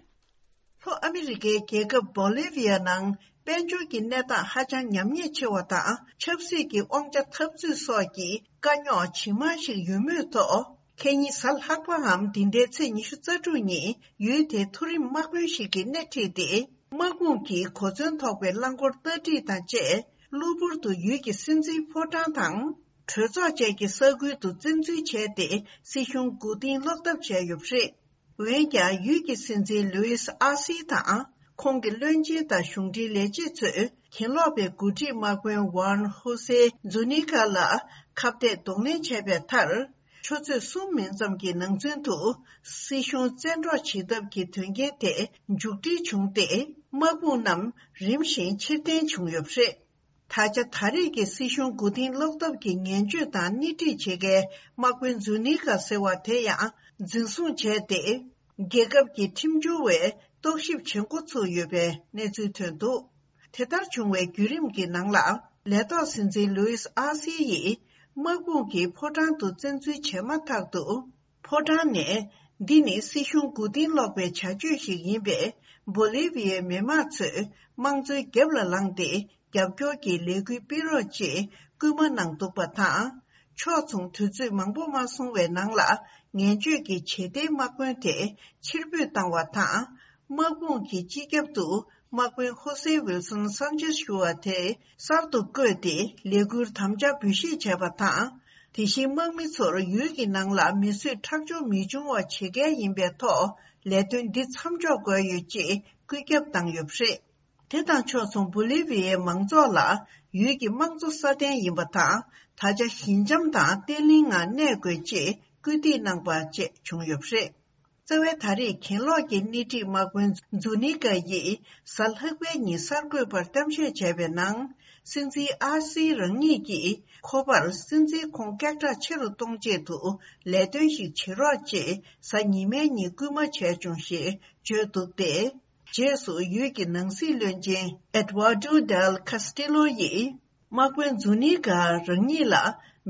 ལྷོ་ཨ་མི་རི་ཀའི་རྒྱལ་ཁབ་སྦོ་ལི་བི་ཡ་ནང་དཔལ་འབྱོར་གྱི་གནས་སྟངས་ཧ་ཅང་ཉམས་ཉེས་ཆེ་བ་དང་། ཆབ་སྲིད་ཀྱི་དབང་ཆ་འཐབ་རྩོད་སོགས་ཀྱི་དཀའ་རྙོག་ཇི་མང་ཞིག་ཡོད་མུས་ཐོག་ཁ་ཉིན་གཟའ་ལྷག་པའམ་འདི་ཟླའི་ཚེས་ཉི་ཤུ་རྩ་དྲུག་ཉིན་ཡུལ་དེའི་མཐོ་རིམ་དམག་དཔོན་ཞིག་གིས་སྣེ་ཁྲིད་དེ། དམག་དཔུང་གིས་གོ་མཚོན་ཐོགས་པའི་རླངས་འཁོར་སྟར་སྒྲིག་དང་བཅས། གློ་བུར་དུ་ཡུལ་གྱི་སྲིད་འཛིན་ཕོ་བྲང་དང་། གྲོས་ཚོགས་བཅས་ཀྱི་ས་ཁུལ་དུ་བཙན་འཛུལ་བྱས་ཏེ། སྲིད་གཞུང་མགོ་རྟིང་སློག་ཐབས་བྱས་ཡོད་པ་རེད། འོན་ཀྱང་། ཡུལ་གྱི་སྲིད་འཛིན་ལུའིས་ཨ་སི་དང་། ཁོང་གི་བློན་ཆེན་དང་གཞུང་འབྲེལ་ལས་བྱེད་ཚོས། གྱེན་ལོག་པའི་འགོ་ཁྲིད་དམག་དཔོན་ཝན་ཧོ་སེ་ཛུ་ནི་ཀ་ལ་ཁ་གཏད་གདོང་ལེན་བྱས་པའི་མཐར། ཆུ་ཚོད་གསུམ་མིན་ཙམ་གྱི་ནང་ཚུན་དུ། སྲིད་གཞུང་བཙན་འཕྲོག་བྱེད་ཐབས་ཀྱི་དོན་རྐྱེན་དེ་མཇུག་སྒྲིལ་བྱུང་སྟེ། དམག་དཔུང་རྣམས་རིམ་བཞིན་ཕྱིར་འཐེན་བྱུང་ཡོད་པ་རེད། ད་ཆ་ད་རེས་ཀྱི་སྲིད་གཞུང་མགོ་རྟིང་སློག་ཐབས་ཀྱི་ངན་བྱུས་དང་སྣེ་ཁྲིད་བྱེད་མཁན་དམག་དཔོན་ཛུ་ནི་ཀ་ཟེར་བ་དེ་ཡང་འཛིན་བཟུང་བྱས་ཏེ། རྒྱལ་ཁབ་ཀྱི་ཁྲིམས་སྦྱོར་བས་རྟོག་ཞིབ་བྱེད་འགོ་ཚུགས་ཡོད་པའི་གནས་ཚུལ་ཐོན་འདུག་དེ་ལྟར་བྱུང་བའི་བརྒྱུད་རིམ་གྱི་ནང་ལ། ལས་ཐོག་སྲིད་འཛིན་ལུའིས་ཨ་སི་ཡིས་དམག་དཔུང་གིས་ཕོ་བྲང་དུ་བཙན་འཛུལ་བྱས་མ་ཐག་ཏུ། ཕོ་བྲང་ནས། འདི་ནི་སྲིད་གཞུང་མགོ་རྟིང་སློག་པའི་བྱ་སྤྱོད་ཞིག་ཡིན་པས། སྦོ་ལི་བི་ཡའི་མི་དམངས་ཚོས་དམངས་གཙོའི་རྒྱབ་ལ་ལངས་ཏེ། རྒྱབ་སྐྱོར་གྱི་ལས་འགུལ་སྤེལ་རོགས་ཅེས་སྐུལ་མ་གནང་འདུག་པ་དང་། ཕྱོགས་མཚུངས་དུས་ཚོད་མང་པོ་མ་སོང་བའི་ནང་ལ། ངན་བྱུས་ཀྱི་བྱེད་གཏེའི་དམག་དཔོན་དེ་ཕྱིར་འབུད་བཏང་བ་དང་། དམག་དཔུང་གི་སྤྱི་ཁྱབ་ཏུ་དམག་དཔོན་ཧོ་སེ་ཝིལ་སོན་སན་ཆེས་ཞུ་བ་དེ་གསར་དུ་བསྐོས་ཏེ་ལས་འཁུར་དམ་བཅའ་འབུལ་བཞེས་བྱས་པ་དང་། དེ་བཞིན་དམག་མི་ཚོར་ཡུལ་གྱི་ནང་ལ་མི་གསོད་ཁྲག་སྦྱོར་མི་འབྱུང་བ་བྱེད་གལ་ཡིན་པའི་ཐོག་ལས་དོན་འདི་མཚམས་འཇོག་དགོས་ཡོད་ཅེས་བཀོད་ཁྱབ་བཏང་ཡོད་པ་རེད། དེ་དང་ཕྱོགས་མཚུངས་སྦོ་ལི་བི་ཡའི་མང་ཚོགས་ལ་ཡུལ་གྱི་དམངས་གཙོ་སྲ་བརྟན་ཡིན་པ་དང་། ད་ཆ་ཞི་འཇམ་དང་བརྟན་བརླིང་ངང་གནས་དགོས་ཅེས་སྐུལ་འདེད་གནང་པ་བཅས་བྱུང་ཡོད་པ་རེད། རྩ་བའི་ད་རེས་གྱེན་ལོག་གི་སྣེ་ཁྲིད་དམག་དཔོན་ཛུ་ནི་ཀ་ཡིས་གཟའ་ལྷག་པའི་ཉིན་གསར་འགོད་པར་གཏམ་བཤད་བྱས་པའི་ནང་། སྲིད་འཛིན་ཨ་སི་རང་ཉིད་ཀྱིས་ཁོ་པར་སྲིད་འཛིན་ཁོང་སྐད་གྲགས་ཆེ་རུ་གཏོང་ཆེད་དུ་ལས་དོན་ཞིག་བྱེད་རོགས་ཅེས་གཟའ་ཉི་མའི་ཉིན་སྐུལ་མ་བྱས་བྱུང་ཞེས་བརྗོད་འདུག་སྟེ། རྗེས་སུ་ཡུལ་གྱི་ནང་སྲིད་བློན་ཆེན་ཨེ་ཌི་ཝར་ཌོ་ཌེལ་ཁ་སི་ཊི་ལོ་ཡིས། དམག་དཔོན་ཛུ་ནི་ཀ་རང་ཉིད་ལ་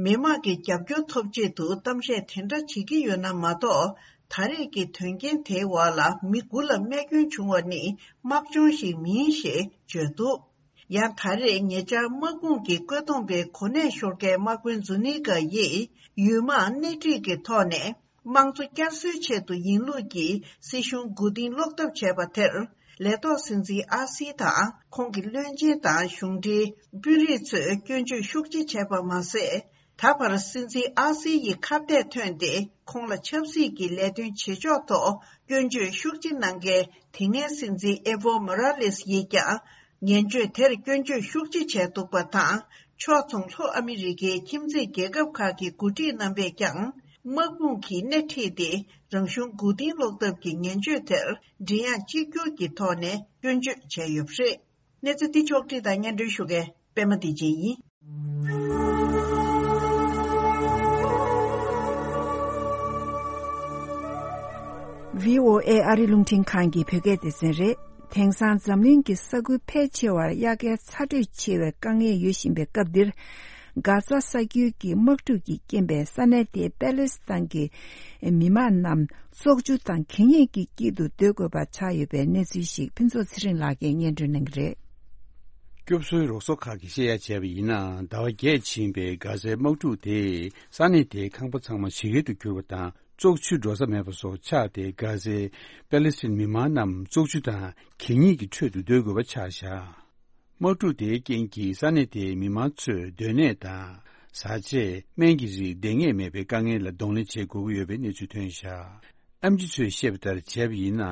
མི་དམངས་ཀྱི་རྒྱབ་སྐྱོར་ཐོབ་ཆེད་དུ་གཏམ་བཤད་དེ་འདྲ་བྱེད་ཀྱི་ཡོད་ན་མ་གཏོགས། ད་རེས་ཀྱི་དོན་རྐྱེན་དེའི་འོག་ལ་མི་དགུ་ལ་རྨས་སྐྱོན་བྱུང་བ་ནི་དམག་སྦྱོང་ཞིག་མིན་ཞེས་བརྗོད་འདུག་ཡང་ད་རེས་ཉེ་ཆར་དམག་དཔུང་གི་བཀོད་འདོམས་པའི་གོ་གནས་ཤོར་མཁན་དམག་དཔོན་ཛུ་ནི་ཀ་ཡིས་ཡུལ་དམག་སྣེ་ཁྲིད་ཀྱི་ཐོག་ནས། དམངས་གཙོ་བསྐྱར་གསོའི་ཆེད་དུ་ཡིན་ལུགས་ཀྱི་སྲིད་གཞུང་མགོ་རྟིང་སློག་ཐབས་བྱས་པ་དེར། ལས་ཐོག་སྲིད་འཛིན་ཨ་སི་དང་ཁོང་གི་བློན་ཆེན་དང་གཞུང་འབྲེལ་དཔོན་རིགས་ཚོས་སྐྱོན་བརྗོད་ཤུགས་ཆེ་བྱས་པ་མ་ཟད། ད་བར་སྲིད་འཛིན་ཨ་སི་ཡི་ཁ་གཏད་ཐོན་ཏེ་ཁོང་ལ་ཆབ་སྲིད་ཀྱི་ལས་དོན་བྱེད་ཕྱོགས་ཐོག་སྐྱོན་བརྗོད་ཤུགས་ཆེ་གནང་མཁན་དེ་སྔའི་སྲིད་འཛིན་ཨེ་ཝོ་མོ་ར་ལེས་ཡིས་ཀྱང་། ངན་བྱུས་དེར་སྐྱོན་བརྗོད་ཤུགས་ཆེ་བྱས་འདུག་པ་དང་། ཕྱོགས་མཚུངས་ལྷོ་ཨ་མི་རི་ཀའི་ཁྱིམ་མཚེས་རྒྱལ་ཁབ་ཁག་གི་འགོ་ཁྲིད་རྣམ་པས་ཀྱང་། དམག་དཔུང་གིས་སྣེ་ཁྲིད་དེ་རང་གཞུང་མགོ་རྟིང་སློག་ཐབས་ཀྱི་ངན་བྱུས་དེར་མགྲིན་དབྱངས་གཅིག་གྱུར་གྱི་ཐོག་ནས་སྐྱོན་བརྗོད་བྱས་ཡོད་པ་རེད། གནས་ཚུལ་འདི་ཕྱོགས་བསྒྲིགས་དང་སྙན་སྒྲོན་ཞུ་མཁན་པད་མ་བདེ་ཆེན་ཡིན། བྷི་ཨོ་ཨེ་ཨ་རི་རླུང་འཕྲིན་ཁང་གི་བོད་སྐད་སྡེ་ཚན་རེད། དེང་སང་འཛམ་གླིང་གི་ས་ཁུལ་ཕལ་ཆེ་བར་དབྱར་ཁའི་ཚ་དྲོད་ཆེ་བའི་དཀའ་ངལ་ཡོད་བཞིན་པའི་སྐབས་འདིར། གྷ་ཛ་ས་རྒྱུད་ཀྱི་དམག་འཁྲུག་གི་རྐྱེན་པས་ས་གནས་དེའི་པེ་ལེ་སི་ཐན་གྱི་མི་མང་རྣམས་བཙོག་ཆུ་དང་གད་སྙིགས་ཀྱི་དཀྱིལ་དུ་སྡོད་དགོས་པ་ཆགས་ཡོད་པའི་གནས་ཚུལ་ཞིག་ཕུན་ཚོགས་ཚེ་རིང་ལགས་ཀྱིས་སྙན་སྒྲོན་གནང་གི་རེད། སྐྱོབ་གསོའི་རོགས་ཚོགས་ཁག་གིས་བཤད་ཡ་བྱས་པ་ཡིན་ན། ཟླ་བ་བརྒྱད་ཕྱིན་པའི་གྷ་ཛའི་དམག་འཁྲུག་དེས་ས་གནས་དེའི་ཁང་པ་ཚང་མ་ཞིག་གེ་ཏུ་གྱུར་པ་དང་། བཙོག་ཆུ་འགྲོ་ས་མེད་པ་སོགས་ཆགས་ཏེ། གྷ་ཛའི་པེ་ལེ་སི་ཐན་མི་མང་རྣམས་བཙོག་ཆུ་དང་གད་སྙིགས་ཀྱི་ཁྲོད་དུ་སྡོད་དགོས་པ་ཆགས་བཞག་དམག་འཁྲུག་དེའི་རྐྱེན་གྱིས་ས་གནས་དེའི་མི་མང་ཚོས་སྡོད་གནས་དང་། བཟའ་ཆས། སྨན་གྱི་རིགས་འདང་ངེས་མེད་པའི་དཀའ་ངལ་ལ་གདོང་ལེན་བྱེད་དགོས་ཀྱི་ཡོད་པའི་གནས་ཚུལ་ཐོན་བཞག་ཨེམ་ཆི་ཚོས་བཤད་པ་ལྟར་བྱས་པ་ཡིན་ན།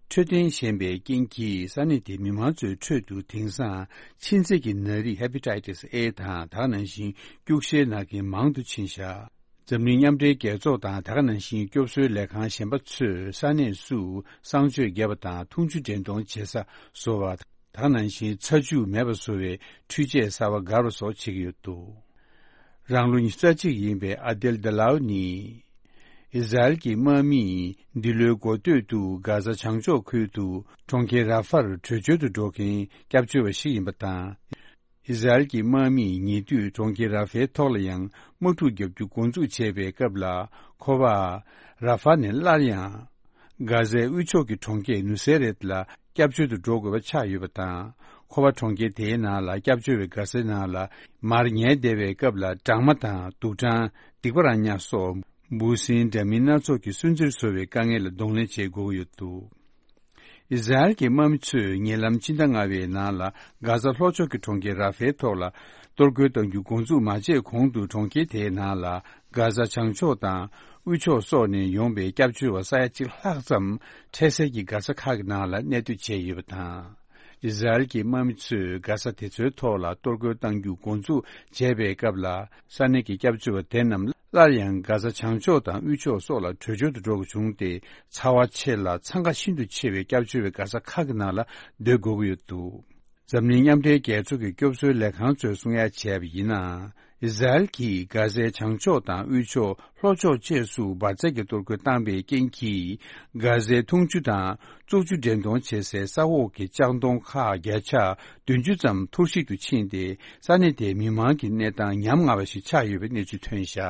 འཕྲོད་བསྟེན་ཞན་པའི་རྐྱེན་གྱིས་ས་གནས་དེའི་མི་མང་ཚོའི་ཁྲོད་དུ་དེང་སང་མཆིན་ཚད་ཀྱི་ནད་རིགས་ཧེ་པ་ཊའི་ཏིས་ཨེ་དང་། ད་ག་ནང་བཞིན་སྐྱུག་བཤལ་ན་མཁན་མང་དུ་ཕྱིན་བཞག་འཛམ་གླིང་མཉམ་འབྲེལ་རྒྱལ་ཚོགས་དང་། ད་ག་ནང་བཞིན་སྐྱོབ་གསོའི་ལས་ཁང་གཞན་པ་ཚོས་ས་གནས་སུ་གསང་སྤྱོད་བརྒྱབ་པ་དང་། འཐུང་ཆུ་འདྲེན་གཏོང་བྱེད་ས་བཟོ་བ། ད་ག་ནང་བཞིན་ཚ་ཆུ་མེད་པ་བཟོ་བའི་འཕྲུལ་ཆས་གསར་པ་བསྒར་བ་སོགས་བྱེད་ཀྱི་ཡོད་འདུག་རང་ལོ་ཉི་ཤུ་རྩ་གཅིག་ཡིན་པའི་ཨ་དེལ་དཱ་ལའོ་ནི། ཨི་ཟ་རེལ་གྱི་དམག་མིས་འདི་ལོའི་འགོ་སྟོད་དུ་གྷ་ཛ་བྱང་ཕྱོགས་ཁུལ་དུ་གྲོང་ཁྱེར་ར་ཧྥར་བྲོས་བྱོལ་དུ་འགྲོ་མཁན་སྐྱབས་བཅོལ་བ་ཞིག་ཡིན་པ་དང་། ཨི་ཟ་རེལ་གྱི་དམག་མིས་ཉེ་དུས་གྲོང་ཁྱེར་ར་ཧྥའི་ཐོག་ལ་ཡང་དམག་འཁྲུག་བརྒྱབ་རྒྱུ་འགོ་འཛུགས་བྱས་པའི་སྐབས་ལ། ཁོ་པ་ར་ཧྥ་ནས་སླར་ཡང་གྷ་ཟའི་དབུས་ཕྱོགས་ཀྱི་གྲོང་ཁྱེར་ནུ་སེ་རེད་ལ་སྐྱབས་བཅོལ་དུ་འགྲོ་དགོས་པ་ཆགས་ཡོད་པ་དང་། ཁོ་པ་གྲོང་ཁྱེར་དེའི་ནང་ལ་སྐྱབས་བཅོལ་བའི་གྷ་ཟའི་ནང་ལ་མར་ཉལ་བསྡད་པའི་སྐབས་ལ། སྦྲང་མ་དང་དུག་སྦྲང་། སྡིག་པ་ར་ཉ་སོགས་འབུ་སྲིན་འདྲ་མིན་སྣ་ཚོགས་ཀྱིས་སུན་གཙེར་བཟོ་བའི་དཀའ་ངལ་ལ་གདོང་ལེན་བྱེད་དགོས་ཀྱི་ཡོད་འདུག་ཨི་ཟ་རེལ་གྱི་དམག་མི་ཚོས་ཉེ་ལམ་ཕྱི་ཟླ་ལྔ་པའི་ནང་ལ་གྷ་ཟ་ལྷོ་ཕྱོགས་ཀྱི་གྲོང་ཁྱེར་ར་ཧྥའི་ཐོག་ལ་གཏོར་རྒོལ་གཏང་རྒྱུ་འགོ་འཛུགས་མ་བྱས་གོང་དུ། གྲོང་ཁྱེར་དེའི་ནང་ལ་གྷ་ཟ་བྱང་ཕྱོགས་དང་དབུས་ཕྱོགས་སོགས་ནས་ཡོང་པའི་སྐྱབས་བཅོལ་བ་ས་ཡ་གཅིག་ལྷག་ཙམ་འཕྲལ་སེལ་གྱི་གྷ་ས་ཁག་གི་ནང་ལ་གནས་སྡོད་བྱས་ཡོད་པ་དང་། ཨི་ཟ་རེལ་གྱི་དམག་མི་ཚོས་གྷ་ས་དེ་ཚོའི་ཐོག་ལ་གཏོར་རྒོལ་གཏང་རྒྱུ་འགོ་འཛུགས་བྱས་པའི་སྐབས་ལ། ས་གནས་ཀྱི་སྐྱབས་བཅོལ་བ་དེ་རྣམས་སླར་ཡང་གྷ་ས་བྱང་ཕྱོགས་དང་དབུས་ཕྱོགས་སོགས་ལ་བྲོས་བྱོལ་དུ་འགྲོ་དགོས་བྱུང་སྟེ། ཚ་བ་ཆེ་ལ་འཚང་ཁ་ཤིན་ཏུ་ཆེ་བའི་སྐྱབས་བཅོལ་བའི་གྷ་ས་ཁག་གི་ནང་ལ་སྡོད་དགོས་ཀྱི་ཡོད་འདུག་འཛམ་གླིང་མཉམ་འབྲེལ་རྒྱལ་ཚོགས་ཀྱི་སྐྱོབ་གསོའི་ལས་ཁང་ཚོས་གསུང་ཡ་བྱས་པ་ཡིན་ན། ཨི་ཟ་རེལ་གྱིས་གྷ་ཟའི་བྱང་ཕྱོགས་དང་དབུས་ཕྱོགས། ལྷོ་ཕྱོགས་བཅས་སུ་འབར་རྫས་ཀྱི་གཏོར་རྒོལ་བཏང་པའི་རྐྱེན་གྱིས། གྷ་ཟའི་འཐུང་ཆུ་དང་བཙོག་ཆུ་འདྲེན་གཏོང་བྱེད་སའི་ས་འོག་གི་ལྕགས་མདོང་ཁག་བརྒྱ་ཆ་བདུན་ཅུ་ཙམ་འཐོར་ཞིག་ཏུ་ཕྱིན་ཏེ། ས་གནས་དེའི་མི་མང་གི་གནས་སྟངས་ཉམ་ང་བ་ཞིག་ཆགས་ཡོད་པའི་གནས་ཚུལ་ཐོན་བཞག་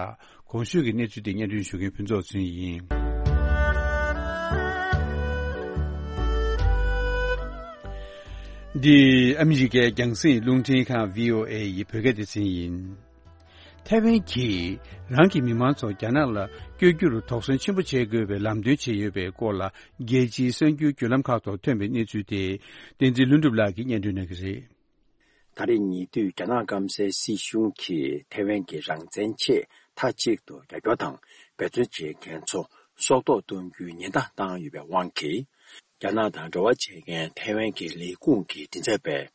གོང་ཞུས་ཀྱི་གནས་ཚུལ་དེ་སྙན་སྒྲོན་ཞུ་མཁན་ཕུན་ཚོགས་ཚུན་ཡིན། འདི་ཨ་མི་རི་ཀའི་རྒྱང་སྲིང་རླུང་འཕྲིན་ཁང་བྷི་ཨོ་ཨེ་ཡི་བོད་སྐད་སྡེ་ཚན་ཡིན། ཐའེ་ཝན་གྱིས་རང་གི་མི་མང་ཚོ་རྒྱ་ནག་ལ་བསྐྱོད་རྒྱུར་དོགས་ཟོན་ཆེན་པོ་བྱེད་དགོས་པའི་ལམ་སྟོན་བྱས་ཡོད་པའི་སྐོར་ལ། རྒྱལ་སྤྱིའི་གསར་འགྱུར་བརྒྱུད་ལམ་ཁག་ཐོག་ཐོན་པའི་གནས་ཚུལ་དེ། བསྟན་འཛིན་ལྷུན་གྲུབ་ལགས་ཀྱིས་སྙན་སྒྲོན་གནང་གི་རེད། ད་རེས་ཉེ་དུས་རྒྱ་ནག་སྐམ་སའི་སྲིད་གཞུང་གིས་ཐའེ་ཝན་གྱི་རང་བཙན་ཆེད་མཐའ་གཅིག་ཏུ་རྒྱབ་སྐྱོར་དང་འབད་བརྩོན་བྱེད་མཁན་ཚོ་སྲོག་ཐོག་གཏོང་རྒྱུའི་ཉེན་བརྡ་བཏང་ཡོད་པའི་དབང་གིས། རྒྱ་ནག་དང་འབྲེལ་བ་བྱེད་མཁན་ཐའེ་ཝན་གྱི་ལས་ཁུངས་ཀྱི་མགྲིན་ཚབ་པས།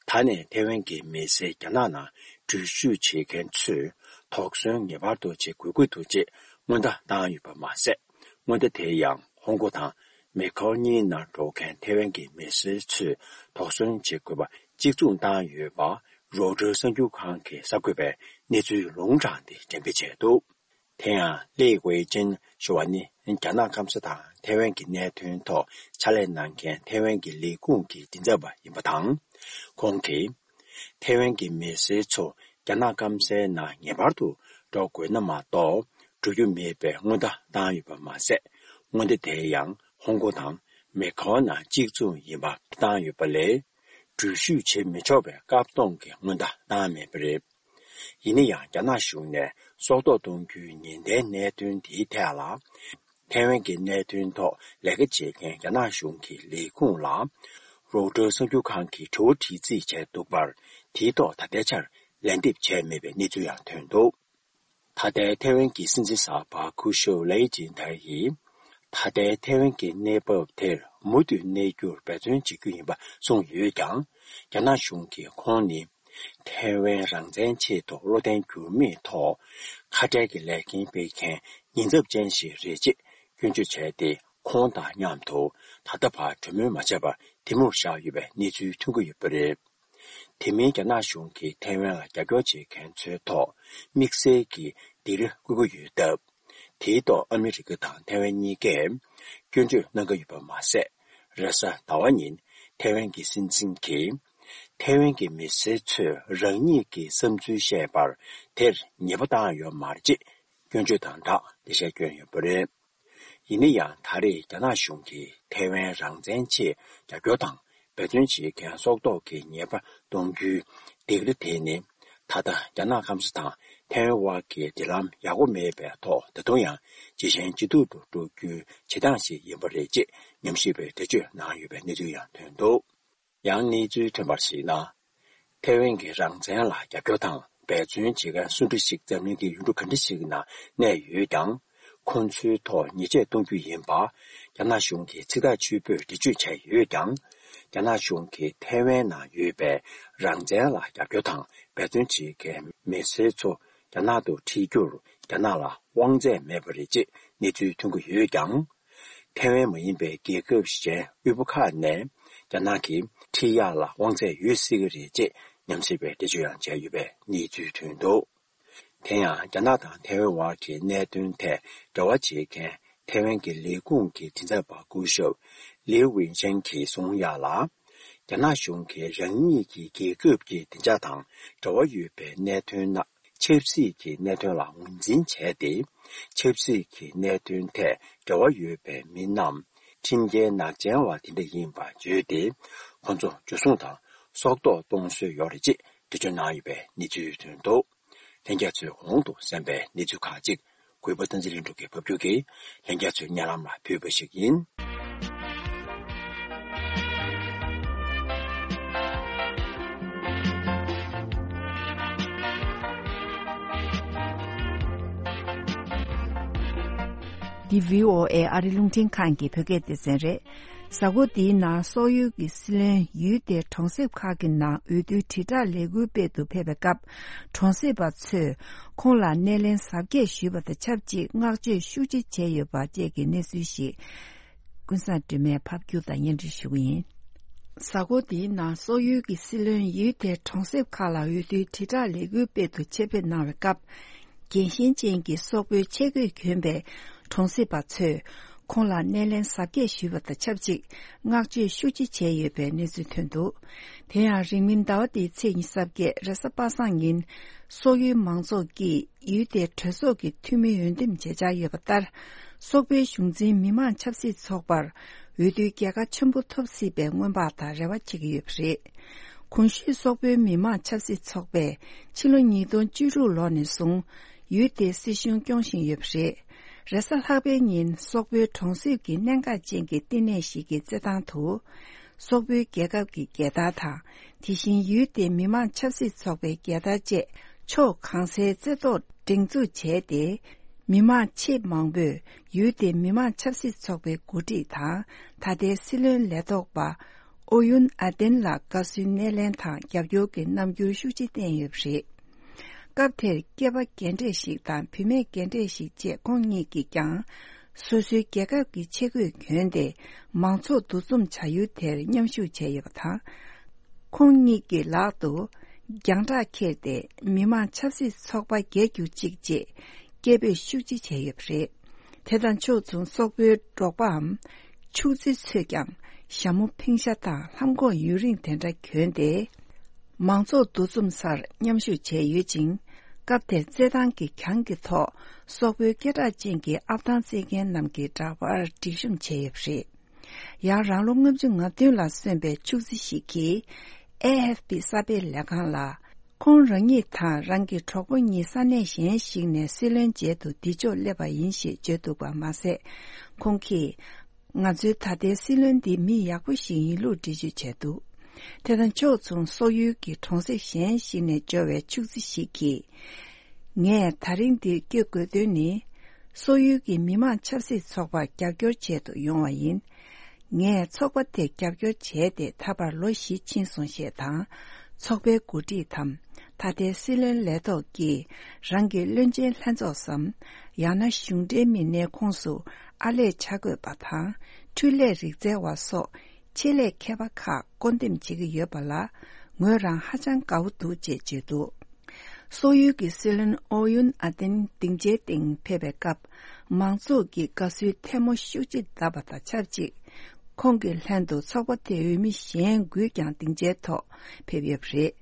ད་ནས་ཐའེ་ཝན་གྱི་མི་སེར་རྒྱ་ནག་ནང་འགྲུལ་བཞུད་བྱེད་མཁན་ཚོས་དོགས་ཟོན་ངེས་པར་དུ་བྱེད་དགོས་ཀྱི་འདུག་ཅེས་སྔོན་བརྡ་བཏང་ཡོད་པ་མ་ཟད། སྔོན་བརྡ་དེ་ཡང་ཧོང་ཀོང་དང་མེ་ཁའོ་གཉིས་ནང་འགྲོ་མཁན་ཐའེ་ཝན་གྱི་མི་སེར་ཚོས་དོགས་ཟོན་བྱེད་དགོས་པ་གཅིག་མཚུངས་བཏང་ཡོད་པ། རོའུ་ཊར་གསར་འགྱུར་ཁང་གི་གསར་འགོད་པས་གནས་ཚུལ་ལུང་དྲངས་ཏེ་འགྲེམས་སྤེལ་བྱས་འདུག་དེ་ཡང་ལི་ཝེ་ཅིན་ཞུ་བ་ནི་རྒྱ་ནག་སྐམ་ས་དང་ཐའེ་ཝན་གྱི་གནད་དོན་ཐོག་ཕྱག་ལས་གནང་མཁན་ཐའེ་ཝན་གྱི་ལས་ཁུངས་ཀྱི་མགྲིན་ཚབ་པ་ཡིན་པ་དང་། ཁོང་གིས་ཐའེ་ཝན་གྱི་མི་སེར་ཚོ་རྒྱ་ནག་སྐམ་སའི་ནང་ངེས་པར་དུ་འགྲོ་དགོས་ན་མ་གཏོགས་འགྲོ་རྒྱུ་མེད་པའི་སྔོན་བརྡ་བཏང་ཡོད་པ་མ་ཟད། སྔོན་བརྡ་དེ་ཡང་ཧོང་ཀོང་དང་མེ་ཁའོ་ནང་གཅིག་མཚུངས་ཡིན་པ་བཏང་ཡོད་པ་ལས། འགྲུལ་བཞུད་བྱེད་མི་ཆོག་པའི་བཀག་སྡོམ་གྱི་སྔོན་བརྡ་བཏང་མེད་པ་རེད། ཡིན་ན་ཡང་རྒྱ་ནག་གཞུང་ནས་སྲོག་ཐོག་གཏོང་རྒྱུའི་ཉེན་བརྡའི་གནད་དོན་དེའི་ཐད་ལ། ཐའེ་ཝན་གྱི་གནད་དོན་ཐོག་ལས་ཀ་བྱེད་མཁན་རྒྱ་ནག་གཞུང་གི་ལས་ཁུངས་ལ། རོའུ་ཊར་གསར་འགྱུར་ཁང་གིས་དྲི་བ་དྲིས་རྩིས་བྱས་འདུག་པར། དེའི་ཐོག་ད་ལྟའི་ཆར་ལན་འདེབས་བྱས་མེད་པའི་གནས་ཚུལ་ཡང་ཐོན་འདུག་ད་ལྟའི་ཐའེ་ཝན་གྱི་སྲིད་འཛིན་གསར་པ་ཁུ་ཤོ་ལའེ་ཅིན་ཐའེ་ཡིས། ད་ལྟའི་ཐའེ་ཝན་གྱི་གནས་བབ་དེར་མུ་མཐུད་གནས་རྒྱུར་འབད་བརྩོན་བྱེད་རྒྱུ་ཡིན་པ་གསུངས་ཡོད་ཀྱང་། རྒྱ་ནག་གཞུང་གིས་ཁོང་ནི་ཐའེ་ཝན་རང་བཙན་ཆེད་དུ་བློ་བརྟན་འགྱུར་མེད་ཐོག་ཁ་བྲལ་གྱི་ལས་འགན་སྤེལ་མཁན་ཉེན་ཚབས་ཅན་ཞིག་རེད་ཅེས་སྐྱོན་བརྗོད་བྱས་ཏེ། ཁོང་དང་མཉམ་དུ་ད་ལྟ་བར་གྲོས་མོལ་མ་བྱས་པར་དེ་མུར་བཞག་ཡོད་པའི་གནས་ཚུལ་ཐོན་གྱི་ཡོད་པ་རེད། དེ་མིན་རྒྱ་ནག་གཞུང་གིས་ཐའེ་ཝན་ལ་རྒྱབ་སྐྱོར་བྱེད་མཁན་ཚོའི་ཐོག་དམིགས་བསལ་གྱི་སྡིགས་ར་བསྐུལ་གྱི་ཡོད་སྟབས། དེའི་ཐོག་ཨ་མི་རི་ཀ་དང་ཐའེ་ཝན་གཉིས་ཀས་སྐྱོན་བརྗོད་གནང་གི་ཡོད་པ་མ་ཟད། རེས་གཟའ་ཟླ་བ་ཉིན་ཐའེ་ཝན་གྱི་སྲིད་འཛིན་གྱིས། ཐའེ་ཝན་གྱི་མི་སེར་ཚོས་རང་ཉིད་ཀྱི་བསམ་ཚུལ་བཤད་པར་དེར་ཉེས་པ་བཏང་ཡོད་མ་རེད་ཅེས་སྐྱོན་བརྗོད་དང་སྦྲགས་འགྲེལ་བཤད་བསྐྱོན་ཡོད་པ་རེད། ཡིན་ན་ཡང་ད་རེས་རྒྱ་ནག་གཞུང་གིས་ཐའེ་ཝན་རང་བཙན་ཆེད་རྒྱབ་སྐྱོར་དང་འབད་བརྩོན་བྱེད་མཁན་སྲོག་ཐོག་གི་ཉེས་པ་གཏོང་རྒྱུའི་སྡིགས་ར་དེ་ནི། ད་ལྟ་རྒྱ་ནག་སྐམ་ས་དང་ཐའེ་ཝན་དབར་གྱི་འབྲེལ་ལམ་ཡག་པོ་མེད་པའི་ཐོག་ད་དུང་ཡང་ཇེ་ཞན་ཇེ་སྡུག་ཏུ་འགྲོ་རྒྱུའི་བྱེད་སྟངས་ཤིག་ཡིན་པ་རེད་ཅེས་ཉམས་ཞིབ་པས་འགྲེལ་བརྗོད་གནང་ཡོད་པའི་གནས་ཚུལ་ཡང་ཐོན་འདུག། ཡང་གནས་ཚུལ་ཐོན་པར་གཞིགས་ན། ཐའེ་ཝན་གྱི་རང་བཙན་ལ་རྒྱབ་སྐྱོར་དང་འབད་བརྩོན་བྱེད་མཁན་སུ་འདྲ་ཞིག་འཛམ་གླིང་གི་ཡུལ་གྲུ་ག་འདྲ་ཞིག་ནང་གནས་ཡོད་ཀྱང་། ཁོང་ཚོའི་ཐོག་ཉེས་ཆད་གཏོང་རྒྱུ་ཡིན་པ། རྒྱ་ནག་གཞུང་གིས་ཚིག་ཐག་ཆོད་པོས་འགྲེལ་བརྗོད་བྱས་ཡོད་ཀྱང་། རྒྱ་ནག་གཞུང་གིས་ཐའེ་ཝན་ནང་ཡོད་པའི་རང་བཙན་ལ་རྒྱབ་སྐྱོར་དང་འབད་བརྩོན་བྱེད་མཁན་མི་སེར་ཚོ་རྒྱ་ནག་ཏུ་ཁྲིད་རྒྱུར་རྒྱ་ནག་ལ་དབང་ཚད་མེད་པ་རེད་ཅེས་གནས་ཚུལ་ཐོན་གྱི་ཡོད་ཀྱང་། ཐའེ་ཝན་མ་ཡིན་པའི་རྒྱལ་ཁབ་གཞན་དབུལ་པོ་ཁག་ནས་རྒྱ་ནག་གིས་ཁྲིད་ཡག་ལ་དབང་ཚད་ཡོད་སྲིད་ཀྱི་རེད་ཅེས་ཉམས་ཞིབ་པས་འགྲེལ་བརྗོད་ཡང་བྱས་ཡོད་པའི་གནས་ཚུལ་ཐོན་འདུག། དེ་ཡང་རྒྱ་ནག་དང་ཐའེ་ཝན་དབར་གྱི་གནད་དོན་ཐད་འབྲེལ་བ་བྱེད་མཁན་ཐའེ་ཝན་གྱི་ལས་ཁུངས་ཀྱི་མགྲིན་ཚབ་པ་སྐུ་ཞབས་ལིའུ་ཝིན་ཅན་གྱིས་གསུངས་ཡག་ལ། རྒྱ་ནག་གཞུང་གིས་རང་ཉིད་ཀྱི་རྒྱལ་ཁབ་ཀྱི་བདེ་འཇགས་དང་འབྲེལ་བ་ཡོད་པའི་གནད་དོན་ནང་ཆབ་སྲིད་ཀྱི་གནད་དོན་ལ་ངོས་འཛིན་བྱས་ཏེ། ཆབ་སྲིད་ཀྱི་གནད་དོན་ཐད་འབྲེལ་བ་ཡོད་པའི་མི་རྣམས་ཁྲིམས་འགལ་ནག་ཅན་བ་དེ་འདྲ་ཡིན་པ་བརྗོད་དེ། ཁོ་ཚོ་འཇུ་བཟུང་དང་སྲོག་ཐོག་གཏོང་སྲོལ་ཡོད་རེད་ཅེས་འགྲེལ་བརྗོད་གནང་ཡོད་པའི་གནས་ཚུལ་ཐོན་འདུག། ལྷན་རྒྱས་ཚོས་གོང་དུ་གསན་པའི་གནས་ཚུལ་ཁག་ཅིག་གུས་པ་བསྟན་འཛིན་ལྷུན་གྲུབ་ཀྱིས་ཕབ་སྒྱུར་གྱིས་ལྷན་རྒྱས་ཚོའི་སྙན་ལམ་ལ་ཕུལ་བ་ཞིག་ཡིན། འདི་བྷི་ཨོ་ཨེ་ཨ་རི་རླུང་འཕྲིན་ཁང་གི་བོད་སྐད་སྡེ་ཚན་རེད། གཟའ་འཁོར་འདིའི་ནང་སོག་ཡུལ་གྱི་སྲིད་བློན་ཡུལ་དེའི་གྲོང་གསེབ་ཁག་གི་ནང་འོས་བསྡུའི་དྲིལ་བསྒྲགས་ལས་འགུལ་སྤེལ་དུ་ཕེབས་པའི་སྐབས། གྲོང་གསེབ་པ་ཚོས་ཁོང་ལ་སྣེ་ལེན་གཟབ་རྒྱས་ཞུས་པ་དང་ཆབས་ཅིག་བསྔགས་བརྗོད་ཤུགས་ཆེ་བྱས་ཡོད་པ་བཅས་ཀྱི་གནས་ཚུལ་ཞིག་ཀུན་བཟང་སྒྲོལ་མས་ཕབ་སྒྱུར་དང་སྙན་སྒྲོན་ཞུ་གི་ཡིན། གཟའ་འཁོར་འདིའི་ནང་སོག་ཡུལ་གྱི་སྲིད་བློན་ཡུལ་དེའི་གྲོང་གསེབ་ཁག་ལ་འོས་བསྡུའི་དྲིལ་བསྒྲགས་ལས་འགུལ་སྤེལ་དུ་ཆེད་ཕེབས་གནང་བའི་སྐབས། རྒྱལ་ཞེན་ཅན་གྱི་སོག་པོའི་ཆས་གོས་གྱོན་པའི་གྲོང་གསེབ་པ་ཚོས་ཁོང་ལ་སྣེ་ལེན་གཟབ་རྒྱས་ཞུས་པ་དང་ཆབས་ཅིག་བསྔགས་བརྗོད་ཤུགས་ཆེ་བྱས་ཡོད་པའི་གནས་ཚུལ་ཐོན་འདུག། དེ་ཡང་རིང་མིན་ཟླ་བ་འདིའི་ཚེས་ཉི་ཤུ་རྩ་བརྒྱད་རེས་གཟའ་པ་སངས་ཉིན། སོག་ཡུལ་མང་ཚོགས་ཀྱིས་ཡུལ་དེའི་གྲོས་ཚོགས་ཀྱི་འཐུས་མི་འོས་འདེམས་བྱེད་འཆར་ཡོད་པ་ལྟར། སོག་པོའི་གཞུང་འཛིན་མི་མང་ཆབ་སྲིད་ཚོགས་པར་འོས་བསྡུའི་རྒྱལ་ཁ་ཆེན་པོ་ཐོབ་སྲིད་པའི་སྔོན་དཔག་དང་རེ་བ་བྱེད་ཀྱི་ཡོད་པ་རེད། གོང་ཞུས་སོག་པོའི་མི་མང་ཆབ་སྲིད་ཚོགས་པས་ཕྱི་ལོ་ཉིས་སྟོང་བཅུ་དྲུག་ལོ་ནས་བཟུང་ཡུལ་དེའི་སྲིད་གཞུང་སྐྱོང་བཞིན་ཡོད་པ་རེད། རེས་གཟའ་ལྷག་པའི་ཉིན་སོག་པོའི་གྲོང་གསེབ་ཀྱི་གནད་འགག་ཅན་གྱི་བསྟི་གནས་ཤིག་གི་རྩེད་ཐང་དུ། སོག་པོའི་རྒྱལ་ཁབ་ཀྱི་རྒྱལ་དར་དང་། དེ་བཞིན་ཡུལ་དེའི་མི་མང་ཆབ་སྲིད་ཚོགས་པའི་རྒྱལ་དར་བཅས་ཕྱོགས་གང་སའི་རྩེ་ཐོག་སྒྲེང་འཛུགས་བྱས་ཏེ། མི་མང་ཆེས་མང་པོས་ཡུལ་དེའི་མི་མང་ཆབ་སྲིད་ཚོགས་པའི་འགོ་ཁྲིད་དང་ད་ལྟའི་སྲིད་བློན་ལས་ཐོག་པ་ཨོ་ཡུན་ཨ་ཏེན་ལ་དགའ་བསུའི་སྣེ་ལེན་དང་རྒྱབ་སྐྱོར་གྱི་རྣམ་འགྱུར་ཤུགས་ཆེ་བསྟན་ཡོད་པ་རེད། སྐབས་དེར་སྐྱེས་པ་རྒན་གྲས་ཤིག་དང་བུད་མེད་རྒན་གྲས་ཤིག་བཅས་ཁོང་གཉིས་ཀྱིས་ཀྱང་སོ་སོའི་རྒྱལ་ཁབ་ཀྱི་ཆས་གོས་གྱོན་ཏེ་མང་ཚོགས་འདུ་འཛོམས་བྱ་ཡུལ་དེར་མཉམ་ཞུགས་བྱས་ཡོད་པ་དང་། ཁོང་གཉིས་ཀྱི་ལག་ཏུ་རྒྱང་བསྒྲགས་འཁྱེར་ཏེ་མི་མང་ཆབ་སྲིད་ཚོགས་པ་རྒྱལ་གྱུར་ཅིག་ཅེས་སྐད་འབོད་ཤུགས་ཆེ་བྱས་ཡོད་པ་རེད། དེ་དང་ཕྱོགས་མཚུངས་སོག་པོའི་འབྲོག་པའམ་ཕྱུགས་རྫི་ཚོས་ཀྱང་ཞྭ་མོ་ཕེང་ཤ་དང་ལྷམ་གོག་ཡུན་རིང་དེ་འདྲ་གྱོན་ཏེ། མང་ཚོགས་འདུ་འཛོམས་སར་མཉམ་ཞུགས་བྱས་ཡོད་ཅིང་། སྐབས་དེར་རྩེད་ཐང་གི་གྱང་གི་ཐོག་སོག་པོའི་སྐད་གྲགས་ཅན་གྱི་ཨབ་ཐང་རྩེད་མཁན་རྣམས་ཀྱི་འདྲ་པར་སྒྲིག་གཤོམ་བྱས་ཡོད་པ་རེད། ཡང་རང་ལོ་ལྔ་བཅུ་ང་བདུན་ལ་སོན་པའི་ཕྱུགས་རྫི་ཞིག་གིས་ཨེ་ཨེཕ་པི་གསར་སྤེལ་ལས་ཁང་ལ། ཁོང་རང་ཉིད་དང་རང་གི་གྲོགས་པོ་གཉིས་ས་གནས་གཞན་ཞིག་ནས་སྲིད་བློན་མཇལ་དུ་འདི་ཕྱོགས་སླེབས་པ་ཡིན་ཞེས་བརྗོད་འདུག་པ་མ་ཟད། ཁོང་གིས། ང་ཚོའི་ད་ལྟའི་སྲིད་བློན་འདི་མི་ཡག་པོ་ཞིག་ཡིན་ལུགས་འགྲེལ་བརྗོད་བྱས་འདུག། དེ་དང་ཕྱོགས་མཚུངས་སོག་ཡུལ་གྱི་གྲོང་གསེབ་གཞན་ཞིག་ནས་འབྱོར་བའི་ཕྱུགས་རྫི་ཞིག་གིས། ངས་ད་རིང་འདིར་སྐྱོད་དགོས་དོན་ནི། སོག་ཡུལ་གྱི་མི་མང་ཆབ་སྲིད་ཚོགས་པར་རྒྱབ་སྐྱོར་བྱེད་དུ་ཡོང་བ་ཡིན། ངས་ཚོགས་པ་དེ་རྒྱབ་སྐྱོར་བྱས་ཏེ་ད་བར་ལོ་བཞི་ཕྱིན་སོང་ཞེས་དང་། ཚོགས་པའི་འགོ་ཁྲིད་དམ། ད་ལྟའི་སྲིད་བློན་ལས་ཐོག་གིས་རང་གི་བློན་ཆེན་ལྷན་ཚོགས་སམ། ཡང་ན་གཞུང་འབྲེལ་མི་སྣའི་ཁོངས་སུ་ཨར་ལས་ཆ་བགོས་པ་དང་། འཕྲུལ་ལས་རིག་རྩལ་བ་སོགས་ཆེད་ལས་མཁས་པ་ཁག་བསྐོ་འདེམས་བྱེད་ཀྱི་ཡོད་པ་ལ་ངོས་རང་ཧ་ཅང་དགའ་བོ་འདུག་ཅེས་བརྗོད་འདུག། སོག་ཡུལ་གྱི་སྲིད་བློན་ཨོ་ཡུན་ཨ་ཏེན་སྡིངས་ཆའི་སྟེང་ཕེབས་པའི་སྐབས། མང་ཚོགས་ཀྱིས་དགའ་བསུའི་ཐལ་མོ་ཤུགས་ཆེ་བརྡབས་པ་དང་ཆབས་ཅིག་ཁོང་གི་ལྷན་དུ་ཚོགས་པ་དེའི་འོས་མི་གཞན་དགུས་ཀྱང་སྡིངས་ཆའི་ཐོག་ཕེབས་ཡོད་པ་རེད།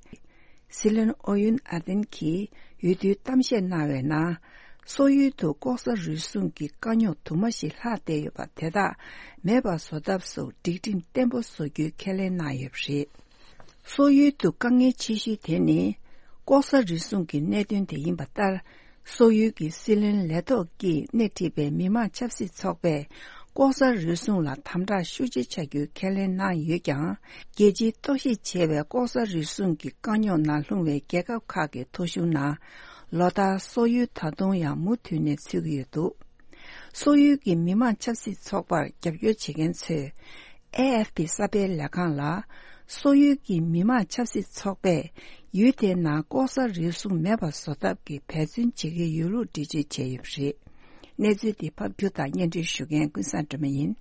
སྲིད་བློན་ཨོ་ཡུན་ཨ་ཏེན་གྱིས་འོས་བསྡུའི་གཏམ་བཤད་གནང་བའི་ནང་། སོག་ཡུལ་དུ་ལྐོག་ཟ་རུལ་སུངས་ཀྱི་དཀའ་རྙོག་དུ་མ་ཞིག་ལྷག་བསྡད་ཡོད་པ་དེ་དག་མེད་པར་བཟོ་ཐབས་སོགས་སྒྲིག་ཁྲིམས་བརྟན་པོ་བཟོ་རྒྱུའི་ཁས་ལེན་གནང་ཡོད་པ་རེད། སོག་ཡུལ་དུ་དཀའ་ངལ་ཆེ་ཤོས་དེ་ནི། ལྐོག་ཟ་རུལ་སུངས་ཀྱི་གནད་དོན་དེ་ཡིན་པ་ལྟར། སོག་ཡུལ་གྱི་སྲིད་བློན་ལས་ཐོག་གིས་སྣེ་ཁྲིད་པའི་མི་མང་ཆབ་སྲིད་ཚོགས་པས། ལྐོག་ཟ་རུལ་སུངས་ལ་དམ་དྲག་ཤུགས་ཆེ་བྱ་རྒྱུའི་ཁས་ལེན་གནང་ཡོད་ཀྱང་། རྒྱལ་སྤྱིའི་རྟོག་ཞིབ་བྱས་པའི་ལྐོག་ཟ་རུལ་སུངས་ཀྱི་དཀའ་རྙོག་ནང་ལྷུང་བའི་རྒྱལ་ཁབ་ཁག་གི་ཐོ་གཞུང་ནང་། ལོ་ལྟར་སོག་ཡུལ་ད་དུང་ཡང་མུ་མཐུད་ནས་ཚུད་ཀྱི་ཡོད་འདུག་སོག་ཡུལ་གྱི་མི་མང་ཆབ་སྲིད་ཚོགས་པར་རྒྱབ་སྐྱོར་བྱེད་མཁན་ཚོས། ཨེ་ཨེཕ་པི་གསར་སྤེལ་ལས་ཁང་ལ། སོག་ཡུལ་གྱི་མི་མང་ཆབ་སྲིད་ཚོགས་པས། ཡུལ་དེའི་ནང་ལྐོག་ཟ་རུལ་སུངས་མེད་པར་བཟོ་ཐབས་ཀྱི་འབད་བརྩོན་བྱེད་ཀྱི་ཡོད་ལུགས་འགྲེལ་བརྗོད་བྱས་ཡོད་པ་རེད། གནས་ཚུལ་འདི་ཕབ་སྒྱུར་དང་སྙན་སྒྲོན་ཞུ་མཁན་ཀུན་བཟང་སྒྲོལ་མ་ཡིན།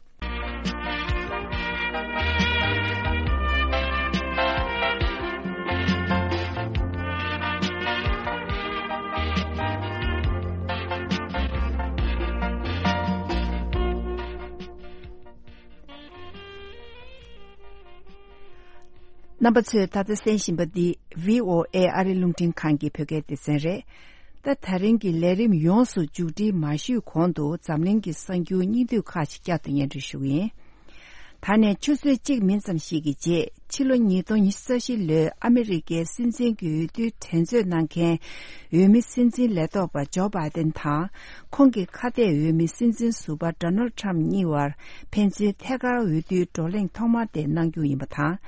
རྣམ་པ་ཚོས་ད་ལྟ་གསན་བཞིན་པ་འདི་བྷི་ཨོ་ཨེ་ཨ་རི་རླུང་འཕྲིན་ཁང་གི་བོད་སྐད་སྡེ་ཚན་རེད། ད། ད་རིང་གི་ལས་རིམ་ཡོངས་སུ་མཇུག་སྒྲིལ་མ་ཞུས་གོང་དུ་འཛམ་གླིང་གི་གསར་འགྱུར་སྙིང་བསྡུས་ཁག་ཅིག་བསྐྱར་དུ་སྙན་སྒྲོན་ཞུ་གི་ཡིན། ད་ནས་ཆུ་ཚོད་གཅིག་མིན་ཙམ་ཞིག་གི་རྗེས། ཕྱི་ལོ་ཉིས་སྟོང་ཉི་ཤུ་རྩ་བཞི་ལོའི་ཨ་མི་རི་ཀའི་སྲིད་འཛིན་གྱི་འོས་བསྡུའི་འགྲན་རྩོད་གནང་མཁན་འོས་མི་སྲིད་འཛིན་ལས་ཐོག་པ་ཇོ་བྷའི་ཏན་དང་། ཁོང་གི་ཁ་གཏད་འོས་མི་སྲིད་འཛིན་ཟུར་པ་ཌོ་ནལ་ཊམ་གཉིས་བར་ཕན་ཚུན་ཐད་ཀར་འོས་བསྡུའི་བགྲོ་གླེང་ཐོག་མ་དེ་གནང་རྒྱུ་ཡིན་པ་དང་།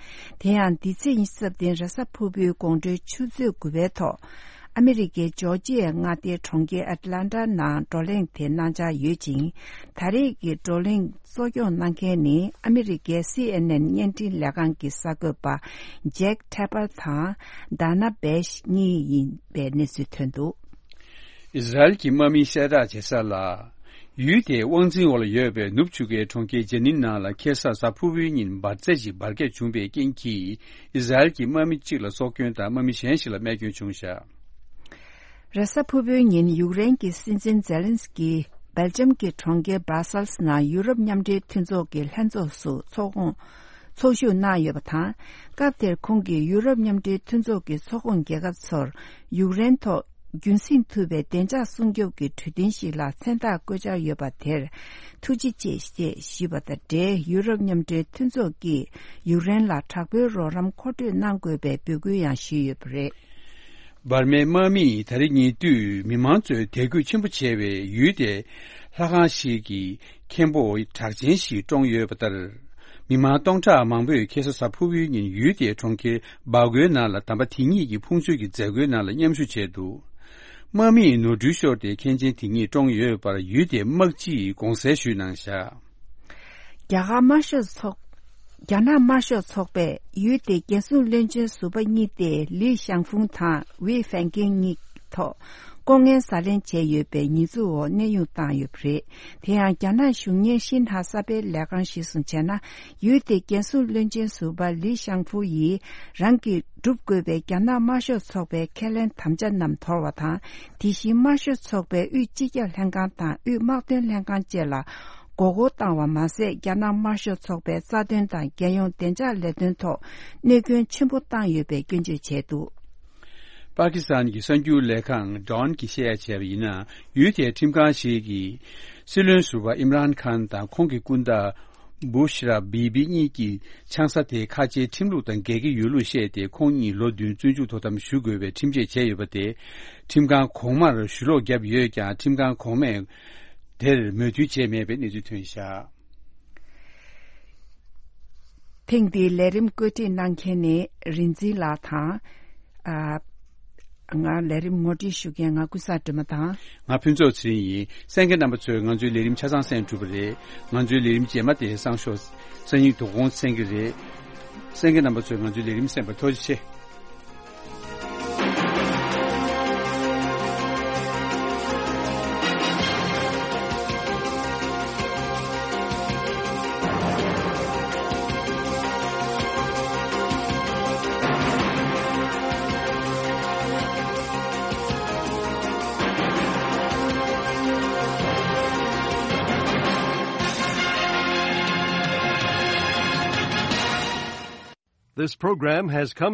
དེ་ཡང་འདི་ཚེས་ཉི་ཤུ་རྩ་བདུན་རེས་གཟའ་ཕུར་བུའི་དགོང་དྲོའི་ཆུ་ཚོད་དགུ་པའི་ཐོག་ཨ་མི་རི་ཀའི་ཇོར་ཇི་ཡའི་མངའ་སྡེའི་གྲོང་ཁྱེར་ཨེ་ཊ་ལན་ཊ་ནང་བགྲོ་གླེང་དེ་གནང་འཆར་ཡོད་ཅིང་། ད་རེས་ཀྱི་བགྲོ་གླེང་གཙོ་སྐྱོང་གནང་མཁན་ནི་ཨ་མི་རི་ཀའི་སི་ཨེན་ཨེན་བརྙན་འཕྲིན་ལས་ཁང་གི་གསར་འགོད་པ་ཇེག་ཐེ་པར་དང་ཌ་ན་བྷེཤ་གཉིས་ཡིན་པའི་གནས་ཚུལ་ཐོན་འདུག། ཨི་ཟ་རེལ་གྱི་དམག་མིས་གསལ་བསྒྲགས་བྱས་གསལ་ལ། ཡུལ་དེའི་དབང་འཛིན་འོག་ལ་ཡོད་པའི་ནུབ་ཆུ་ཁའི་གྲོང་ཁྱེར་ཇེ་ནིན་ནང་ལ་ཁ་སང་གཟའ་ཕུར་བུའི་ཉིན་འབར་རྫས་ཤིག་འབར་གས་བྱུང་བའི་རྐྱེན་གྱིས། ཨི་ཟ་རེལ་གྱི་དམག་མི་གཅིག་ལ་སྲོག་སྐྱོན་དང་དམག་མི་གཞན་ཞིག་ལ་རྨས་སྐྱོན་བྱུང་བཞག། རེས་གཟའ་ཕུར་བུའི་ཉིན་ཡུཀ་རེན་གྱི་སྲིད་འཛིན་ཛེ་ལན་སི་ཀི་སྦེལ་ཇམ་གྱི་གྲོང་ཁྱེར་སྦར་སལ་སི་ནང་ཡུ་རོབ་མཉམ་འབྲེལ་མཐུན་ཚོགས་ཀྱི་ལྷན་ཚོགས་སུ་ཚོགས་ཁོངས་ཚོགས་ཞུགས་གནང་ཡོད་པ་དང་། སྐབས་དེར་ཁོང་གིས་ཡུ་རོབ་མཉམ་འབྲེལ་མཐུན་ཚོགས་ཀྱི་ཚོགས་ཁོངས་རྒྱལ་ཁབ་ཚོར་ཡུཀ་རེན་ཐོག་རྒྱུན་སྲིང་ཐུབ་པའི་བདེ་འཇགས་སྲུང་སྐྱོབ་ཀྱི་གྲོས་མཐུན་ཞིག་ལ་མཚན་རྟགས་བཀོད་འཆར་ཡོད་པ་དེར་ཐུགས་རྗེ་ཆེ་ཞེས་ཞུས་པ་དང་འབྲེལ། ཡུ་རོབ་མཉམ་འབྲེལ་མཐུན་ཚོགས་ཀྱིས་ཡུཀ་རེན་ལ་དྲག་པོའི་རོགས་རམ་མཁོ་སྤྲོད་གནང་དགོས་པའི་འབོད་སྐུལ་ཡང་ཞུས་ཡོད་པ་རེད། འབར་མའི་དམག་མིས་ད་རེས་ཉེ་དུས་མི་མང་ཚོས་དད་གུས་ཆེན་པོ་བྱེད་པའི་ཡུལ་དེའི་ལྷ་ཁང་ཞིག་གི་མཁན་པོ་གྲགས་ཅན་ཞིག་བཀྲོངས་ཡོད་པ་ལྟར། མི་མང་སྟོང་ཕྲག་མང་པོས་ཁ་སང་གཟའ་ཕུར་བུའི་ཉིན་ཡུལ་དེའི་གྲོང་ཁྱེར་སྦ་གོའི་ནང་ལ་དམ་པ་དེ་ཉིད་ཀྱི་ཕུང་མཆོད་ཀྱི་མཛད་སྒོའི་ནང་ལ་མཉམ་ཞུགས་བྱས་འདུག། དམག་མིས་ནོར་འཁྲུལ་ཤོར་ཏེ་མཁན་ཆེན་དེ་ཉིད་བཀྲོངས་ཡོད་པར་ཡུལ་དེའི་དམག་སྤྱིས་དགོངས་སེལ་ཞུས་གནང་བཞག། རྒྱ་གར་དམར་ཤོག་ཚོགས། རྒྱ་ནག་དམར་ཤོག་ཚོགས་པས་ཡུལ་དེའི་རྒྱལ་སྲུང་བློན་ཆེན་ཟུར་པ་གཉིས་ཏེ་ལི་ཞང་ཧྥུང་དང་ཝེ་ཧྥན་ཀེན་གཉིས་ཐོག་ལྐོག་རྔན་ཟ་ལེན་བྱས་ཡོད་པའི་ཉེས་འཛུགས་འོག་གནས་དབྱུང་བཏང་ཡོད་པ་རེད། དེ་ཡང་རྒྱ་ནག་གཞུང་གཉེར་ཤིན་ཧྭ་གསར་སྤེལ་ལས་ཁང་གཞིར་བཟུང་བྱས་ན། ཡུལ་དེའི་རྒྱལ་སྲུང་བློན་ཆེན་ཟུར་པ་ལི་ཞང་ཧྥུ་ཡིས་རང་གིས་སྒྲུབ་དགོས་པའི་རྒྱ་ནག་དམར་ཤོག་ཚོགས་པའི་ཁས་ལེན་དམ་བཅའ་རྣམས་དོར་བ་དང་། དེ་བཞིན་དམར་ཤོག་ཚོགས་པའི་དབུས་སྤྱི་ཁྱབ་ལྷན་ཁང་དང་དབུས་དམག་དོན་ལྷན་ཁང་བཅས་ལ་མགོ་སྐོར་བཏང་བ་མ་ཟད། རྒྱ་ནག་དམར་ཤོག་ཚོགས་པའི་རྩ་དོན་དང་རྒྱལ་ཡོངས་བདེ་འཇགས་ལས་དོན་ཐོག་གནོད་སྐྱོན་ཆེན་པོ་བཏང་ཡོད་པའི་སྐྱོན་བརྗོད་བྱས་འདུག། པ་ཀི་སི་ཐན་གྱི་གསར་འགྱུར་ལས་ཁང་ཌོན་གྱིས་བཤད་ཡ་བྱས་པ་ཡིན་ན། ཡུལ་དེའི་ཁྲིམས་ཁང་ཞིག་གིས་སྲིད་བློན་ཟུར་པ་ཨིམ་རཱན་ཁཱན་དང་ཁོང་གི་སྐུ་ཟླ་བུ་ཤ་ར་བི་བི་གཉིས་ཀྱི་ཆང་ས་དེ་ཁ་ཆེའི་ཁྲིམས་ལུགས་དང་འགལ་གྱི་ཡོད་ལུགས་བཤད་དེ། ཁོང་གཉིས་ལོ་བདུན་བཙོན་འཇུག་དོ་དམ་ཞུ་དགོས་པའི་ཁྲིམས་ཆད་བཅད་ཡོད་པ་དེ། ཁྲིམས་ཁང་གོང་མར་ཞུ་ལོག་བརྒྱབ་ཡོད་ཀྱང་། ཁྲིམས་ཁང་གོང་མས་དེར་མོས་མཐུན་བྱས་མེད་པའི་གནས་ཚུལ་ཐོན་བཞག། ཐེངས་འདིའི་ལས་རིམ་བཀོད་སྒྲིག་གནང་མཁན་ནི་རིན་འཛིན་ལགས་དང་། ཨ། ང་ལས་རིམ་ངོ་སྤྲོད་ཞུ་མཁན་ང་ཀུན་བཟང་སྒྲོལ་མ་དང་། ང་ཕུན་ཚོགས་ཚེ་རིང་ཡིན། གསན་མཁན་རྣམ་པ་ཚོས་ང་ཚོའི་ལས་རིམ་ཆ་ཚང་གསན་གྲུབ་པ་རེད། ང་ཚོའི་ལས་རིམ་རྗེས་མ་དེ་སང་ཞོགས་སང་ཉིན་དོ་དགོང་གསན་གྱི་རེད། གསན་མཁན་རྣམ་པ་ཚོས་ང་ཚོའི་ལས་རིམ་གསན་པར་ཐུགས་རྗེ་ཆེ། This program has come